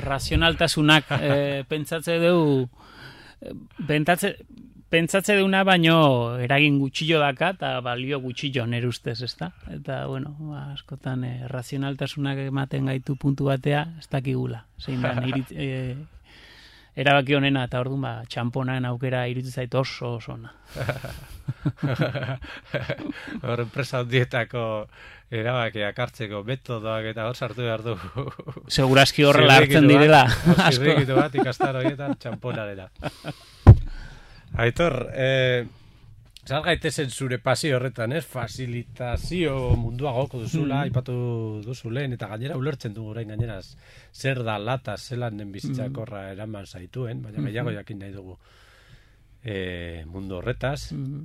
Razionaltasunak eh, pentsatze dugu, pentsatze, pentsatze duguna baino eragin gutxillo daka eta balio gutxillo nere ustez, ez da? Eta, bueno, ba, askotan eh, razionaltasunak ematen gaitu puntu batea, ez dakigula. Zein da, irit, eh, erabaki honena, eta orduan, ba, txamponan aukera iruditzen zait oso oso ona. Hor, enpresa handietako erabakiak hartzeko metodoak eta hor sartu behar du. Segurazki horrela hartzen direla. Zirrikitu bat ikastar horietan txamponarela. Aitor, eh, zar gaitezen zure pasio horretan, ez? Fasilitazio mundua goko duzula, mm. aipatu duzu lehen, eta gainera ulertzen dugu orain gaineraz zer da lata, zelan den bizitzakorra eraman zaituen, baina gehiago jakin nahi dugu eh, mundu horretaz, mm.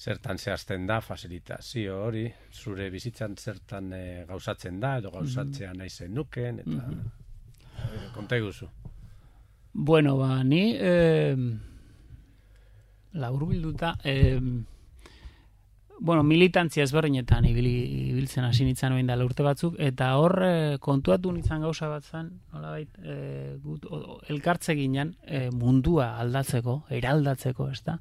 zertan zehazten da fasilitazio hori, zure bizitzan zertan e, gauzatzen da, edo gauzatzea nahi zen nuken, eta mm-hmm. e, konta iguzu. Bueno, ba, ni eh, laburbilduta, eh, bueno, militantzia ezberdinetan ibili, ibiltzen hasi nintzen oin dela urte batzuk, eta hor eh, kontuatu nintzen gauza bat zen, nolabait, eh, gut, elkartze ginen eh, mundua aldatzeko, eraldatzeko, ez da?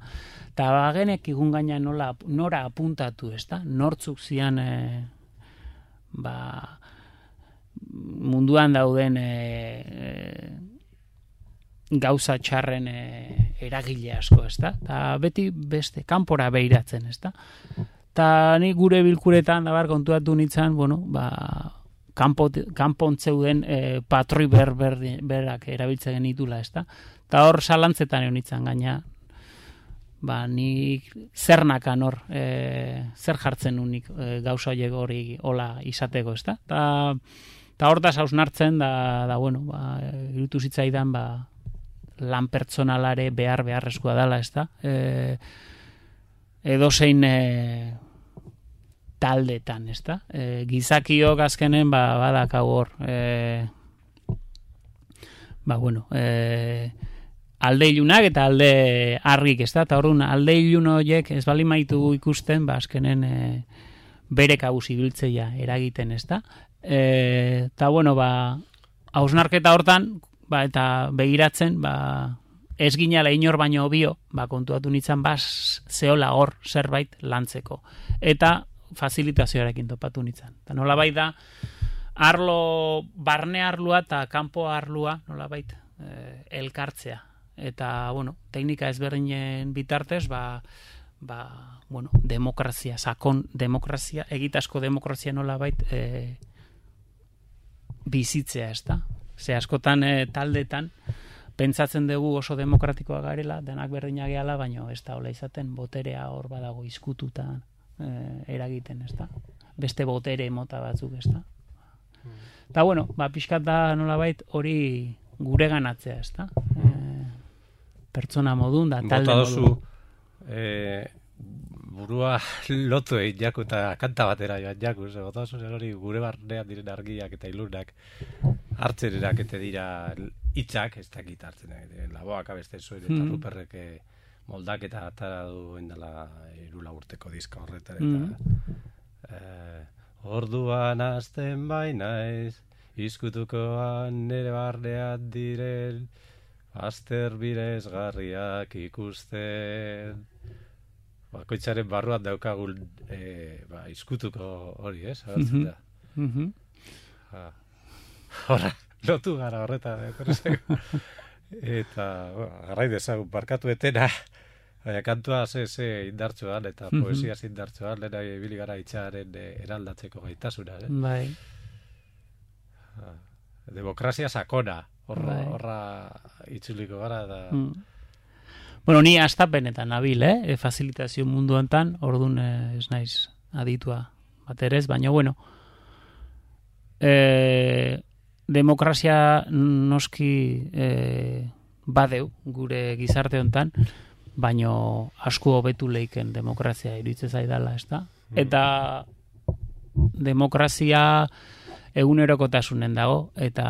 Eta bagenek igun gaina nola, nora apuntatu, ez da? Nortzuk zian eh, ba, munduan dauden eh, eh, gauza txarren e, eragile asko, ez da? Ta beti beste, kanpora behiratzen, ez da? Ta ni gure bilkuretan, dabar, kontuatu nintzen, bueno, ba, kanpontzeuden e, patroi ber, ber, berak erabiltzen genitula, ez da? Ta hor salantzetan egon nintzen gaina, ba, nik zer nakan hor, e, zer jartzen unik e, gauza hori hola izateko, ez da? Ta, ta hortaz hausnartzen, da, da, bueno, ba, irutu zitzaidan, ba, lan pertsonalare behar beharrezkoa dela, ez da? E, edozein e, taldetan, ez da? E, gizakiok azkenen, ba, badakau hor, e, ba, bueno, e, alde ilunak eta alde argik, ez da? Eta horren, alde ilun horiek ez bali maitu ikusten, ba, azkenen e, bere kabuz ibiltzeia eragiten, ez da? Eta, bueno, ba, hausnarketa hortan, ba, eta begiratzen, ba, ez ginala inor baino bio, ba, kontuatu nintzen, ba, zehola hor zerbait lantzeko. Eta fasilitazioarekin topatu nintzen. Eta nolabait da, arlo, barne arlua eta kanpo arlua, nolabait, eh, elkartzea. Eta, bueno, teknika ezberdinen bitartez, ba, ba, bueno, demokrazia, sakon demokrazia, egitasko demokrazia nolabait eh, bizitzea, ez da? Ze askotan e, taldetan pentsatzen dugu oso demokratikoa garela, denak berdinak gehala, baina ez da hola izaten boterea hor badago izkututa e, eragiten, ez da? Beste botere mota batzuk, ez da? Eta, bueno, ba, pixkat da nolabait hori gure ganatzea, ez da? E, pertsona modun da, talde modun. Eh, burua lotu egin jaku eta kanta batera joan jaku, ze bota oso hori gure barnean diren argiak eta ilunak hartzen erakete dira hitzak, ez dakit hartzen diren laboak abesten zuen, eta mm. Ruperrek moldak eta atara duen dela irula urteko diska horretan, eta mm. eh, orduan azten bainaiz, izkutukoan nere barnean diren, azter birezgarriak ikusten, bakoitzaren barruan daukagun e, ba, izkutuko hori, ez? Agertzen da. Mm-hmm. Ha. Horra, lotu gara horretan. Eta, ba, garrai dezagun, barkatu etena, baina kantua ze, ze indartzuan, eta mm-hmm. poesia ze indartzuan, lehena ibili gara itxaren e, eraldatzeko gaitasuna. Eh? Bai. Ha. Demokrazia sakona, horra, bai. horra itzuliko gara, da... Mm. Bueno, ni astapenetan nabil, eh? E, fasilitazio mundu enten, orduan eh, ez naiz aditua baterez, baina bueno, e, demokrazia noski e, badeu gure gizarte hontan, baina asko hobetu leiken demokrazia iruditzen zaidala, ez da? Eta demokrazia egunerokotasunen dago, eta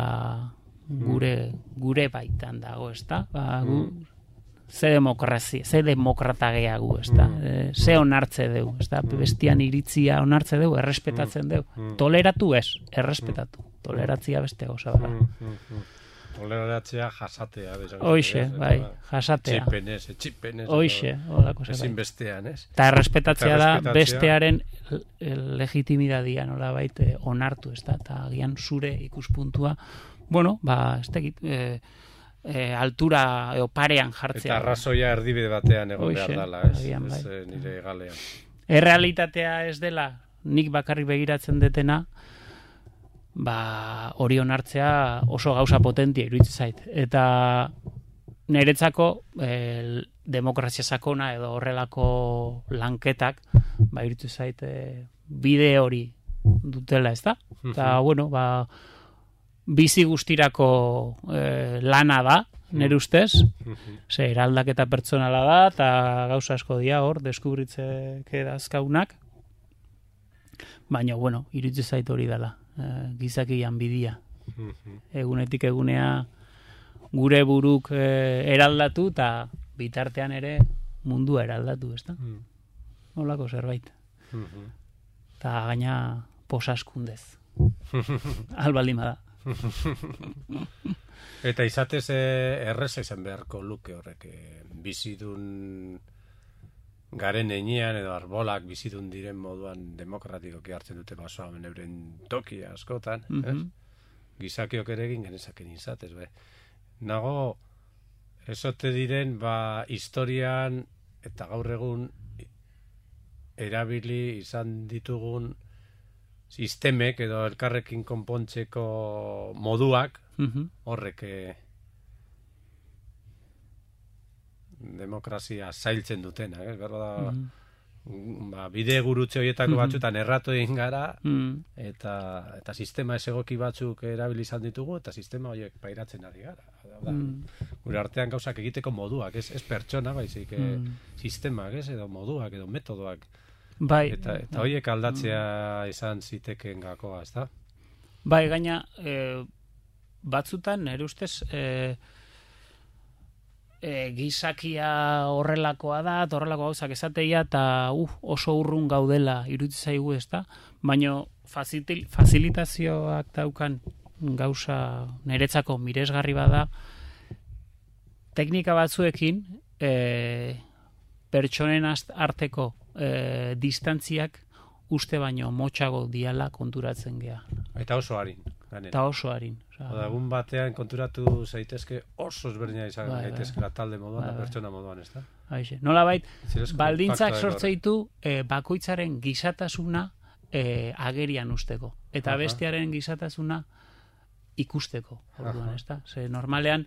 gure, gure baitan dago, ez da? Ba, gu, ze demokrazia, ze demokrata gehiago, ez da? Mm. E, ze onartze deu, ez da? Bestian iritzia onartze deu, errespetatzen deu. Mm. Toleratu ez, errespetatu. Toleratzia beste gauza bera. Mm. Toleratzea jasatea. Hoxe, bai, jasatea. Txipenez, txipenez. Hoxe, holako ze bai. Ezin bestean, ez? Ta errespetatzea da bestearen legitimidadia, nola baite, onartu, ez da? Ta agian zure ikuspuntua, bueno, ba, ez tekit, eh, e, altura edo parean jartzea. Eta arrazoia erdibide batean egon Hoxe, behar dela, ez? agian Ez bai. eh, nire galean. Errealitatea ez dela, nik bakarrik begiratzen detena, ba, hori onartzea oso gauza potentia iruditzen zait. Eta niretzako el, demokrazia sakona edo horrelako lanketak, ba, iruditzen zait e, bide hori dutela, ez da? Eta, bueno, ba, bizi guztirako e, lana da, nire ustez, ze eraldaketa pertsonala da, eta gauza asko dira hor, deskubritzeke dazkaunak, baina, bueno, iruditzen zait hori dela, e, gizakian bidia. Egunetik egunea gure buruk e, eraldatu, eta bitartean ere mundua eraldatu, ez da? Nolako zerbait. Eta gaina posaskundez. Albaldima da. Eta izatez eh, erreza izan beharko luke horrek eh, bizidun garen enean edo arbolak bizidun diren moduan demokratikoki hartzen dute basoa euren tokia askotan, Mhm. ez? Gizakiok ere egin genezaken izatez, bai. Nago esote diren ba historian eta gaur egun erabili izan ditugun sistemek edo elkarrekin konpontzeko moduak Mhm. horrek eh, demokrazia zailtzen dutena, eh? Berro da, Mhm. ba, bide gurutze horietako Mhm. batzuetan erratu egin gara, Mhm. eta, eta sistema ez egoki batzuk erabili izan ditugu, eta sistema horiek pairatzen ari gara. Da, Mhm. gure artean gauzak egiteko moduak, ez, ez pertsona, baizik, eh, Mhm. sistemak, ez, edo moduak, edo metodoak. Bai, Eta, eta horiek aldatzea izan zitekeen gakoa, ez da? bai, gaina e, batzutan, nire ustez, e, e, gizakia horrelakoa da, eta horrelako gauzak esateia, eta uh, oso urrun gaudela iruditzen zaigu, ez da? Baina fazitil, facilitazioak daukan gauza niretzako miresgarri bada, teknika batzuekin e, pertsonen arteko e, distantziak uste baino motxago diala konturatzen gea. Eta oso harin. Ganen. Eta oso harin. Oda, egun batean konturatu zaitezke oso ezberdina izan Bai, gaitezkela talde moduan, bai, da bai. pertsona moduan, ez da? Aixe. Nola bait, Zirezko baldintzak faktoa sortze ditu e, bakoitzaren gizatasuna e, agerian usteko. Eta Aha. bestearen gizatasuna ikusteko. Orduan, Aha. ez da? Ze normalean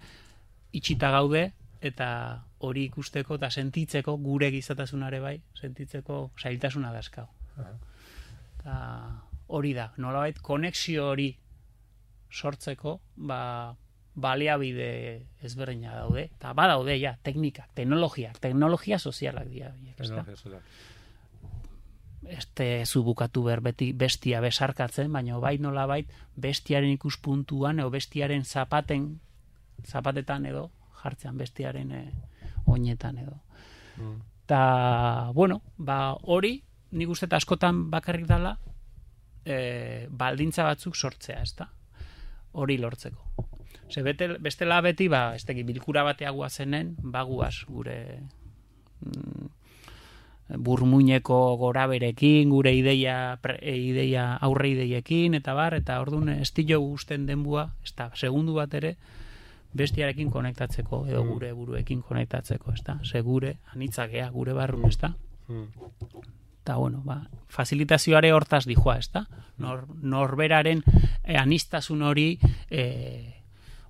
itxita gaude, eta hori ikusteko eta sentitzeko, gure gizatasunare bai, sentitzeko zailtasuna dazkau. Aha. Eta hori da, nolabait konexio hori sortzeko, ba, baliabide ezberdina daude, eta badaude ja, teknikak, teknologiak, teknologia sozialak dira. horiek, ezta? Teknologia sozialak. Este zu bukatu ber beti bestia besarkatzen, baina bai nolabait bestiaren ikuspuntuan edo bestiaren zapaten zapatetan edo jartzean bestiaren e, oinetan edo. Mm. Ta, bueno, ba hori nik uste eta askotan bakarrik dala e, baldintza batzuk sortzea, ezta? Hori lortzeko. Ze bete, bestela beti, ba, ez teki, bilkura batea guazenen, baguaz gure mm, burmuineko goraberekin, gure ideia, pre, ideia aurre ideiekin, eta bar, eta orduan estilo gusten denbua, ez da, segundu bat ere, bestiarekin konektatzeko, edo gure buruekin konektatzeko, ez da? Ze gure, anitzakea, gure barrun, ez da? Eta, bueno, ba, facilitazioare hortaz dijoa, ez da? Nor, norberaren eh, anistasun hori eh,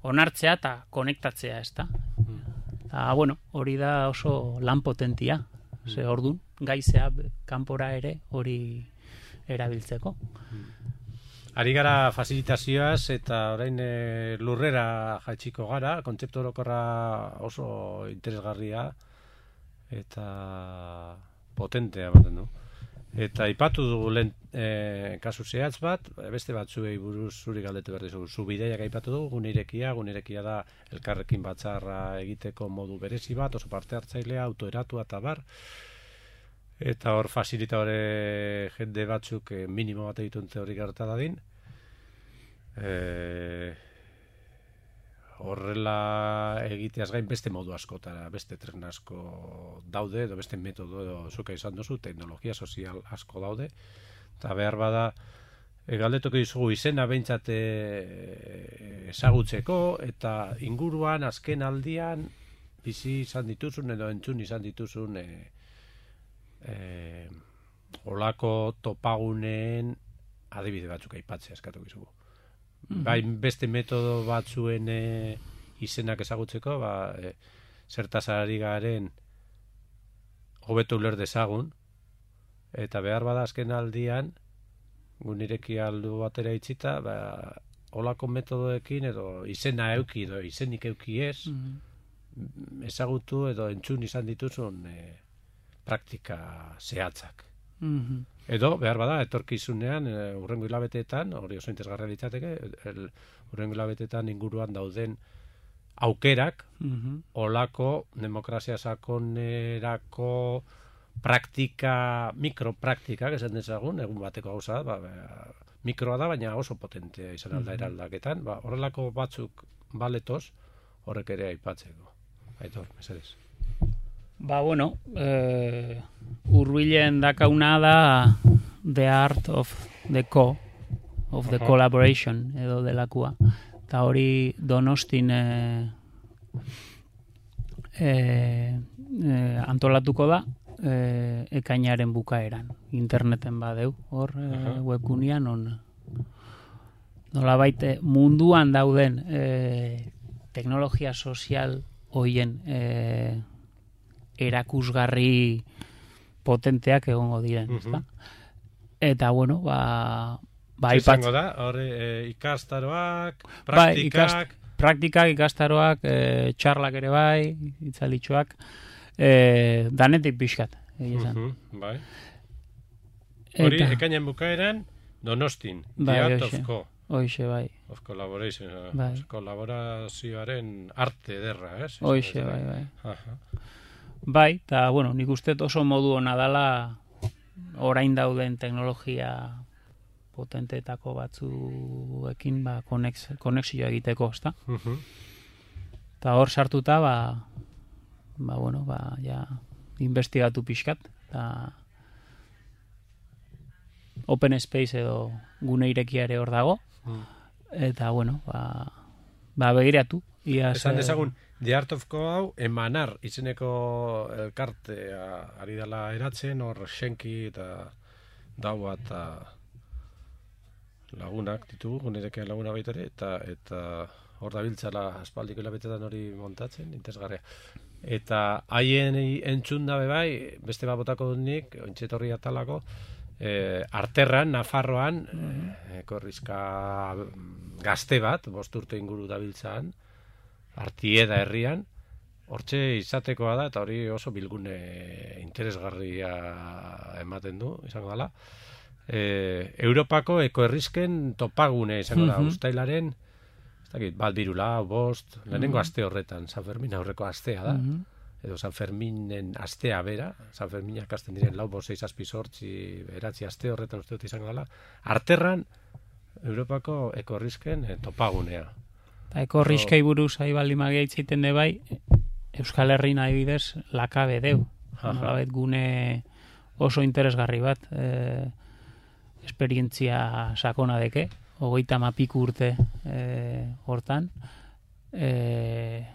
onartzea eta konektatzea, ez da? Eta, bueno, hori da oso lan potentia. Ze ordun gaizea kanpora ere hori erabiltzeko. Ari gara facilitazioaz eta orain e, lurrera jaitsiko gara, kontzeptu orokorra oso interesgarria eta potentea ematen du. Eta ipatu dugu lehen e, kasu zehatz bat, beste batzuei buruz zuri galdetu behar dizugu. Zu bideiak aipatu dugu, gunirekia, gunirekia da elkarrekin batzarra egiteko modu berezi bat, oso parte hartzailea, autoeratua eta bar. Eta hor fasilitadore jende batzuk eh, minimo bat egituntze hori gerta dadin. E, horrela egiteaz gain beste modu askotara, beste tresna asko daude, edo beste metodo edo zuka izan duzu, teknologia sozial asko daude, eta behar bada e, galdetuko dizugu izena behintzat e, ezagutzeko, eta inguruan azken aldian bizi izan dituzun edo entzun izan dituzun e, e, olako topaguneen adibide batzuk aipatzea eskatu dizugu. Mm-hmm. Bai, beste metodo batzuen e, izenak ezagutzeko, ba, e, zertaz ari garen hobeto uler dezagun, eta behar bada azken aldian, gunireki aldu batera itxita, ba, olako metodoekin edo izena euki edo izenik euki ez, mm-hmm. ezagutu edo entzun izan dituzun e, praktika zehatzak. Mm-hmm. Edo, behar bada, etorkizunean, e, urrengo hilabeteetan, hori oso interesgarria litzateke, el, urrengo hilabeteetan inguruan dauden aukerak, mm-hmm. olako demokrazia sakonerako praktika, mikropraktikak esan dezagun, egun bateko gauza, ba, ba, mikroa da, baina oso potentea izan alda eraldaketan, ba, horrelako batzuk baletoz, horrek ere aipatzeko. Aitor, mesedez. Ba, bueno, eh, urbilen dakauna da the art of the co, of the uh-huh. collaboration, edo delakua. Eta hori Donostin eh, eh, eh, antolatuko da, eh, ekainaren bukaeran, interneten badeu, hor eh, uh-huh. webgunean on. Nolabait munduan dauden eh, teknologia sozial hoien eh, erakusgarri potenteak egongo diren, uh-huh. ezta? Eta, bueno, ba... ba izango da, hori e, ikastaroak, praktikak... Ba, ikast, praktikak, ikastaroak, e, txarlak ere bai, itzalitxoak, e, danetik pixkat, egizan. Uh-huh, bai. Hori, ekainen bukaeran, Donostin, bai, The Art oixe, of Co. Oixe, bai. Of Collaboration, bai. Kolaborazioaren arte derra, ez? Oixe, bai, bai. Aha. Bai, eta, bueno, nik uste oso modu hona dala orain dauden teknologia potenteetako batzuekin ba, konexioa egiteko, ezta? Uh-huh. Eta hor sartuta, ba, ba, bueno, ba, ja, investigatu pixkat, eta Open Space edo gune irekiare hor dago, uh-huh. eta, bueno, ba, ba begiratu. Iaz, esan dezagun, The Art of Co hau emanar izeneko elkartea ari dela eratzen, hor Schenki eta daua eta lagunak ditugu, gunerekean laguna baita ere, eta, eta hor da biltzala aspaldiko hilabetetan hori montatzen, interesgarria. Eta haien entzun dabe bai, beste bat botako dut nik, ointxetorri atalako, e, Arterran, Nafarroan, mm-hmm. e, korrizka gazte bat, bost urte inguru dabiltzan, Artieda herrian, hortxe izatekoa da, eta hori oso bilgune interesgarria ematen du, izango dela. E, Europako ekoherrizken topagune izango da, mm-hmm. ustailaren, ez dakit, bat birula, bost, lehenengo mm-hmm. aste horretan, San Fermin aurreko astea da, mm-hmm. edo San Ferminen astea bera, San Ferminak hasten diren lau, bost, seis, azpi, sortzi, beratzi aste horretan uste dut izango dela, Arterran, Europako ekoherrizken e, topagunea. Eko riskai buruz ari bali magia itzaiten de bai, Euskal Herrin adibidez lakabe deu. Nolabait gune oso interesgarri bat, e, esperientzia sakona deke, hogeita mapik urte e, hortan. E,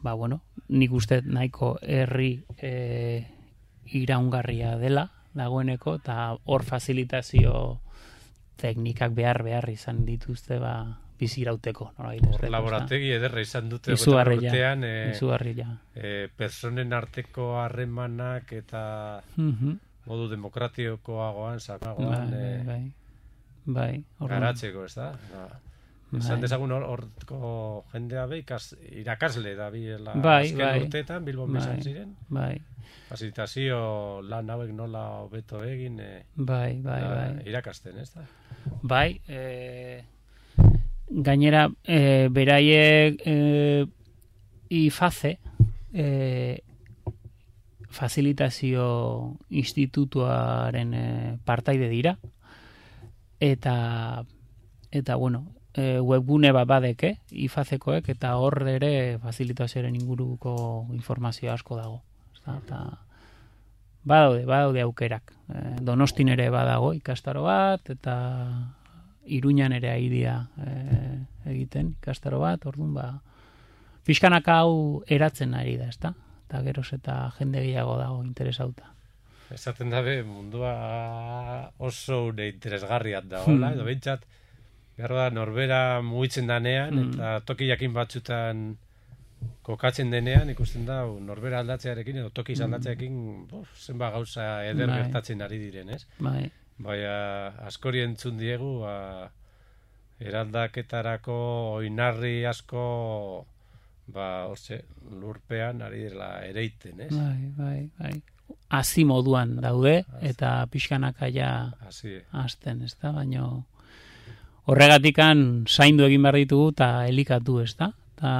ba, bueno, nik uste nahiko herri e, iraungarria dela, dagoeneko, eta hor facilitazio teknikak behar behar izan dituzte, ba, bizirauteko. Hor laborategi ederra izan dute urtean, e, e, personen arteko harremanak eta mm-hmm. modu demokratikoagoan, sakagoan, bai, e, bai, bai, garatzeko, ez da? Ba, esan dezagun horko jendea be, irakasle da biela bai, azken bai, urteetan, Bilbon bezan ziren. Bai. Fasilitazio lan hauek nola hobeto egin, e, bai, bai, da, bai. irakasten, ez da? Bai, eh, gainera, e, beraiek e, ifaze e, facilitazio institutuaren e, partaide dira eta eta bueno, e, webgune bat badeke ifazekoek eta hor ere facilitazioaren inguruko informazio asko dago, eta badaude, badaude aukerak. E, Donostin ere badago ikastaro bat, eta Iruñan ere aidia e, egiten ikastaro bat, orduan ba, pixkanaka hau eratzen ari da, ezta? Eta geroz eta jende gehiago dago interesauta. Esaten dabe, mundua oso une interesgarriat da, hola, edo behintzat, behar da, norbera mugitzen danean, Hmm. eta toki jakin batzutan kokatzen denean, ikusten da, norbera aldatzearekin, edo toki aldatzearekin, bof, zenba gauza eder Bai. gertatzen ari diren, ez? Bai, Baina, askori entzun diegu, ba, eraldaketarako oinarri asko, ba, orze, lurpean ari dela ereiten, ez? bai, bai, bai. Hazi moduan daude, eta pixkanaka ja Hasi, hasten, ezta? Baina horregatikan zaindu egin behar ditugu eta elikatu, ezta? Ta,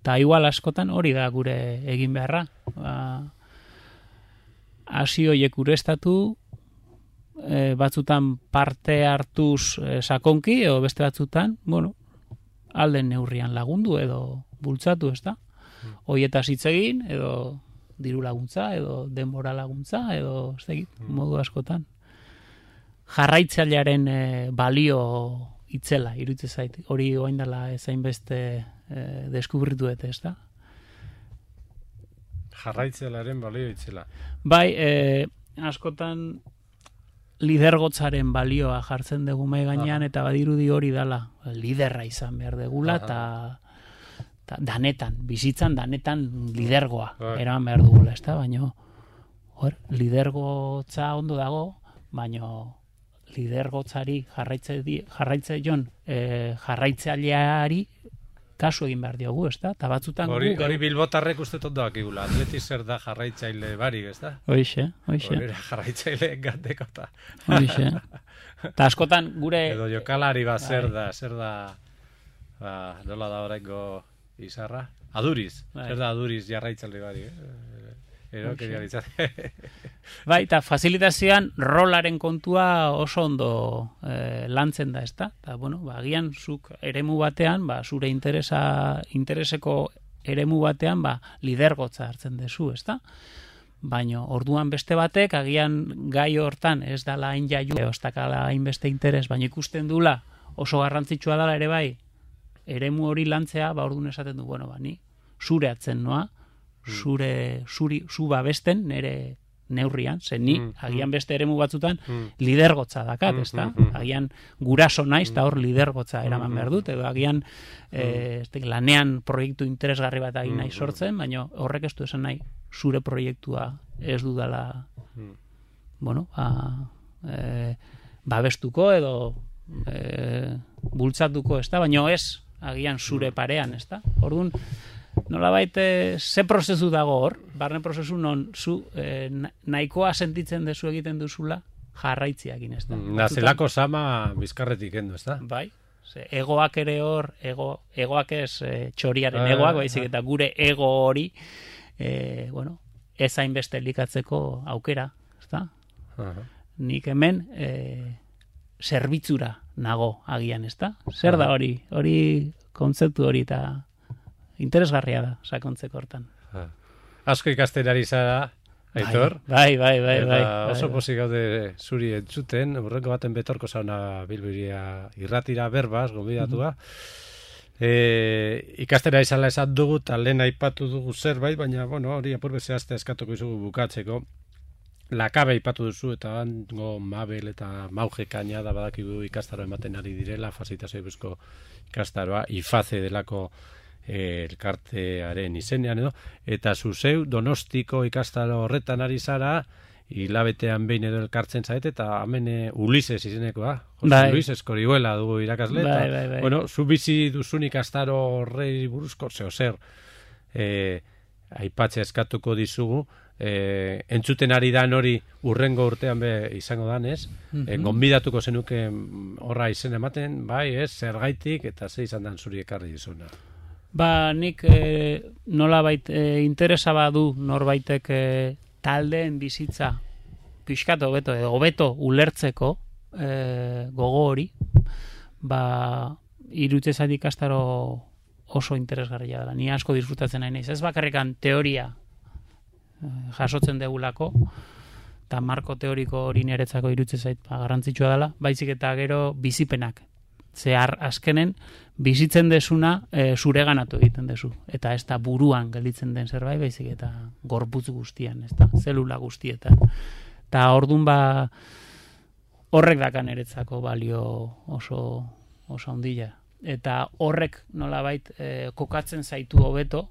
ta igual askotan hori da gure egin beharra. Ba, hasi horiek urestatu, e, batzutan parte hartuz e, sakonki, edo beste batzutan, bueno, alden neurrian lagundu edo bultzatu, ezta? Hoietaz hitz egin, edo diru laguntza, edo denbora laguntza, edo ez dakit, modu askotan. Jarraitzailearen e, balio itzela, iruditzen zait. Hori orain dela ezain beste e, deskubritu dute, ezta? jarraitzelaren balio itzela. Bai, e, askotan lidergotzaren balioa jartzen dugu mai gainean, eta badirudi hori dala, liderra izan behar degula, eta danetan, bizitzan danetan lidergoa eraman behar dugula, ezta? Baina, hor, lidergotza ondo dago, baina lidergotzari jarraitze, jarraitze jon, e, jarraitzaileari kasu egin behar diogu, ezta? Ta batzutan hori, gu, hori bilbotarrek uste tondo akigula. Atleti zer da jarraitzaile barik, ezta? Hoixe, hoixe. Hori jarraitzaile gateko eta... Hoixe. Ta askotan gure... Edo jokalari bat zer da, zer da... Ba, nola da horrengo izarra? Aduriz. Bai. Zer da aduriz jarraitzaile barik, eh? Ero, keria ditzate. Bai, eta fasilitazioan rolaren kontua oso ondo eh, lantzen da, ezta? Eta, bueno, ba, agian zuk eremu batean, ba, zure interesa, intereseko eremu batean, ba, lidergotza hartzen dezu, ezta? Baina, orduan beste batek, agian gai hortan ez dala hain jaiu, ostakala hainbeste interes, baina ikusten dula oso garrantzitsua dela ere bai, eremu hori lantzea, ba, orduan esaten du, bueno, ba, ni zure atzen noa, zure zuri zu babesten nere neurrian, zen ni Mm, agian beste eremu batzutan Mm. lidergotza dakat, Mm, ezta? mm, mm. Agian guraso naiz eta hor lidergotza eraman behar dut, edo agian eh, ez dakit, lanean proiektu interesgarri bat egin nahi sortzen, baina horrek ez du esan nahi zure proiektua ez dudala Mm. bueno, ba, eh, babestuko edo eh, bultzatuko, ezta? Baina ez agian zure parean, ezta? Orduan, nolabait eh, ze prozesu dago hor, barne prozesu non zu eh, nahikoa sentitzen dezu egiten duzula jarraitziakin, ez da? Nazelako sama bizkarretik endu, ez da? Bai, ze egoak ere hor, ego, egoak ez eh, txoriaren Ah, egoak, baizik ah. eta gure ego hori, eh, bueno, ez hainbeste elikatzeko aukera, ez da? Aha. Nik hemen eh, zerbitzura nago agian, ez da? Zer da hori, hori kontzeptu hori eta interesgarria da, sakontzeko hortan. Ah. Asko ikasten ari zara, Aitor. Bai, bai, bai, Eta bai. oso bai, pozik gaude zuri entzuten, horrengo baten betorko zauna Bilbiria irratira berbaz, gonbidatua. E, ikastera izala esan dugu, eta lehen aipatu dugu zerbait, baina, bueno, hori apurbe zehazte eskatuko izugu bukatzeko. Lakabe aipatu duzu, eta hango Mabel eta Mauge Kañada badakigu ikastaro ematen ari direla, fasitazio bizko ikastaroa, ifaze delako eh, elkartearen izenean edo, eta zuzeu Donostiko ikastaro horretan ari zara, hilabetean behin edo elkartzen zaete, eta hemen e, Ulises izenekoa, Jose Bai. Luis Eskorihuela dugu irakasle, eta, Bai, bai, bai. bueno, zu bizi duzun ikastaro horrei buruzko, zeo zer, e, aipatzea eskatuko dizugu, e, entzuten ari dan hori urrengo urtean be izango danez, e, gonbidatuko zenuke horra izen ematen, bai, ez, zergaitik, eta ze izan dan zuri ekarri dizuna. Ba, nik e, nolabait e, interesa badu norbaitek e, taldeen bizitza pixkat hobeto edo hobeto ulertzeko e, gogo hori, ba, irutze zait ikastaro oso interesgarria dela. Ni asko disfrutatzen nahi naiz. Ez bakarrikan teoria e, jasotzen degulako, eta marko teoriko hori niretzako irutze zait ba, garrantzitsua dela, baizik eta gero bizipenak. Zehar azkenen bizitzen desuna e, zure ganatu egiten dezu. Eta ez da buruan gelditzen den zerbait, baizik eta gorputz guztian, ez da, zelula guztietan. Eta ordun ba horrek dakan eretzako balio oso oso handia. Eta horrek nolabait e, kokatzen zaitu hobeto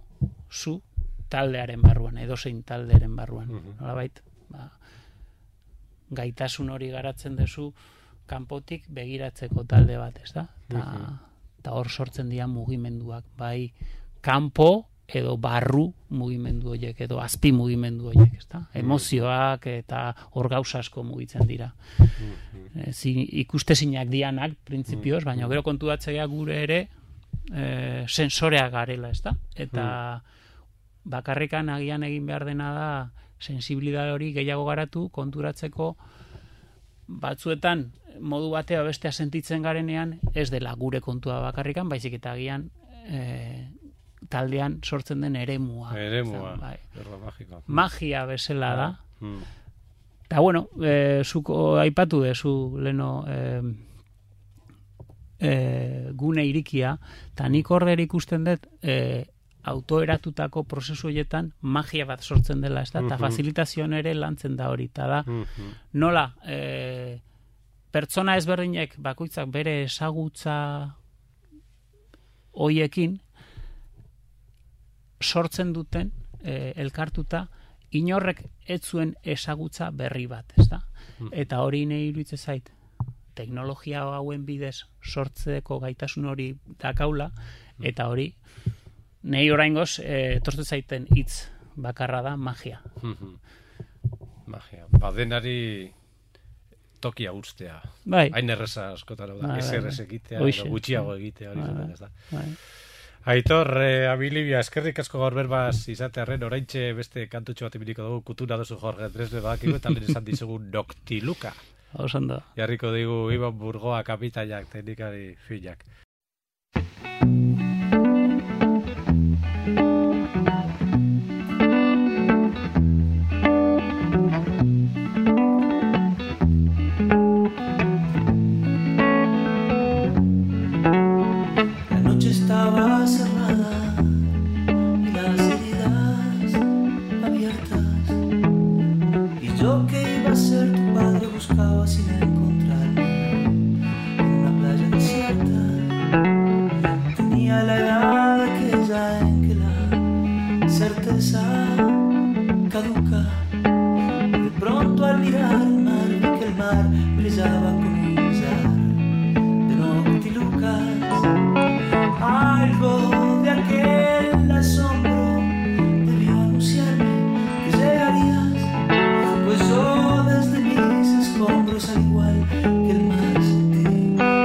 zu taldearen barruan, edozein taldearen barruan. Mm-hmm. Nolabait, ba, gaitasun hori garatzen dezu kanpotik begiratzeko talde bat, ez da? Ta, ta hor sortzen dira mugimenduak, bai kanpo edo barru mugimendu horiek, edo azpi mugimendu horiek, ez da? Emozioak eta hor gauza asko mugitzen dira. E, zi, ikustezinak dianak, printzipioz, baina gero kontuatzea gure ere e, sensoreak garela, ez da? Eta bakarrikan agian egin behar dena da sensibilidade hori gehiago garatu konturatzeko batzuetan modu batea bestea sentitzen garenean ez dela gure kontua bakarrikan, baizik eta agian e, taldean sortzen den eremua. Eremua, bai. magikoa. Magia bezala da. Hmm. Eta bueno, e, zuko aipatu dezu leno e, e, gune irikia, eta nik order ikusten dut e, autoeratutako prozesu horietan magia bat sortzen dela, ez da? Eta facilitazioan ere lantzen da hori, eta da, nola, e, pertsona ezberdinek bakoitzak bere ezagutza hoiekin sortzen duten e, elkartuta inorrek ez zuen ezagutza berri bat, ez da? Eta hori nahi iruditzen zait, teknologia hauen bidez sortzeko gaitasun hori dakaula, eta hori nahi oraingoz e, tortzen zaiten hitz bakarra da magia. Magia. Badenari tokia ustea. Bai. Hain erreza askotan da. Bai, Ez bai, errez bai. egitea, Hoxe. edo gutxiago egitea, hori Bai, zaten ez da. bai. Aitor, eh, Abilibia, eskerrik asko gaur berbaz izatearren, oraintxe beste kantutxo bat ibiliko dugu, kutura dozu Jorge Dresde badakigu, eta lehen esan dizugu Noctiluca. Osando. Jarriko digu Iban Burgoa kapitainak, teknikari filak. Estaba cerrada y las heridas abiertas, y yo que iba a ser tu padre buscaba sin encontrarme en una playa desierta. Tenía la edad aquella en que la certeza caduca, y de pronto al mirar el mar vi que el mar brillaba como un millar de noctilucas. Algo de aquel asombro debió anunciarme que llegarías, pues yo desde mis escombros al igual que el mar sentí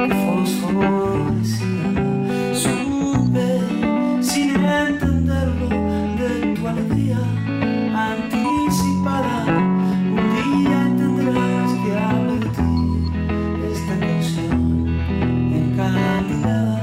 que fosforecía. Supe sin entenderlo de tu alegría anticipada. Un día entenderás que habla de ti esta canción encandilada.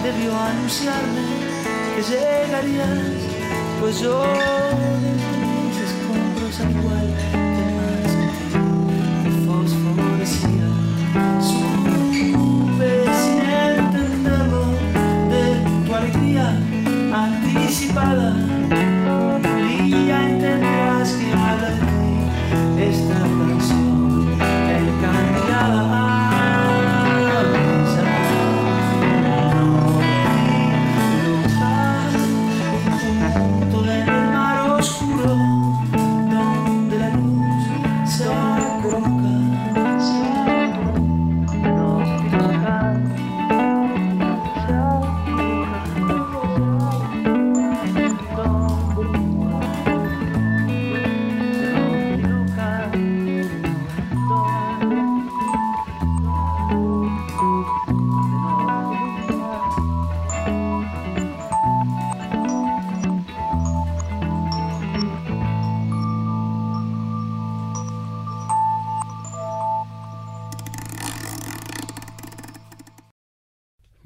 Debió anunciarme que llegarías, pues yo desde mis escombros al igual que el mar sentí que fosforecía. Supe sin entenderlo de tu alegría anticipada. Un día entenderás que habla de ti esta canción encandilada.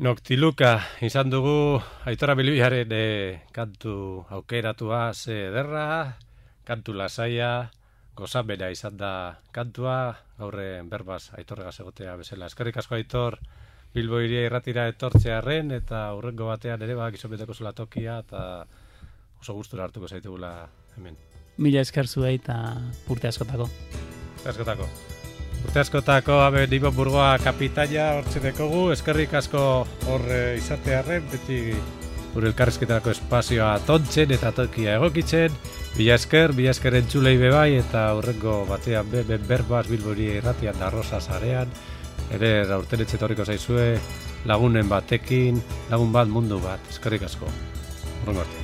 Noctiluca izan dugu Aitor Abilbilaren e, kantu aukeratua ze ederra, kantu lasaia, gozamena izan da kantua, gaurren berbaz Aitorregaz egotea bezala. Eskerrik asko Aitor, Bilbo hiria irratira etortzearren eta hurrengo batean ere bak izonbeteko zula tokia eta oso gustura hartuko zaitugula hemen. Mila esker zuei eta urte askotako. Urte askotako. Urte askotako abe Ibon Burgoa kapitaina hortxe dekogu, eskerrik asko hor izatearren, beti gure elkarrizketarako espazioa tontzen eta tokia egokitzen. Bila esker, bila esker entzulei bebai eta hurrengo batean be, ben berbaz Bilbori irratian da Rosa sarean. Ere aurten etxetorriko zaizue lagunen batekin, lagun bat mundu bat, eskerrik asko. Hurrengo arte.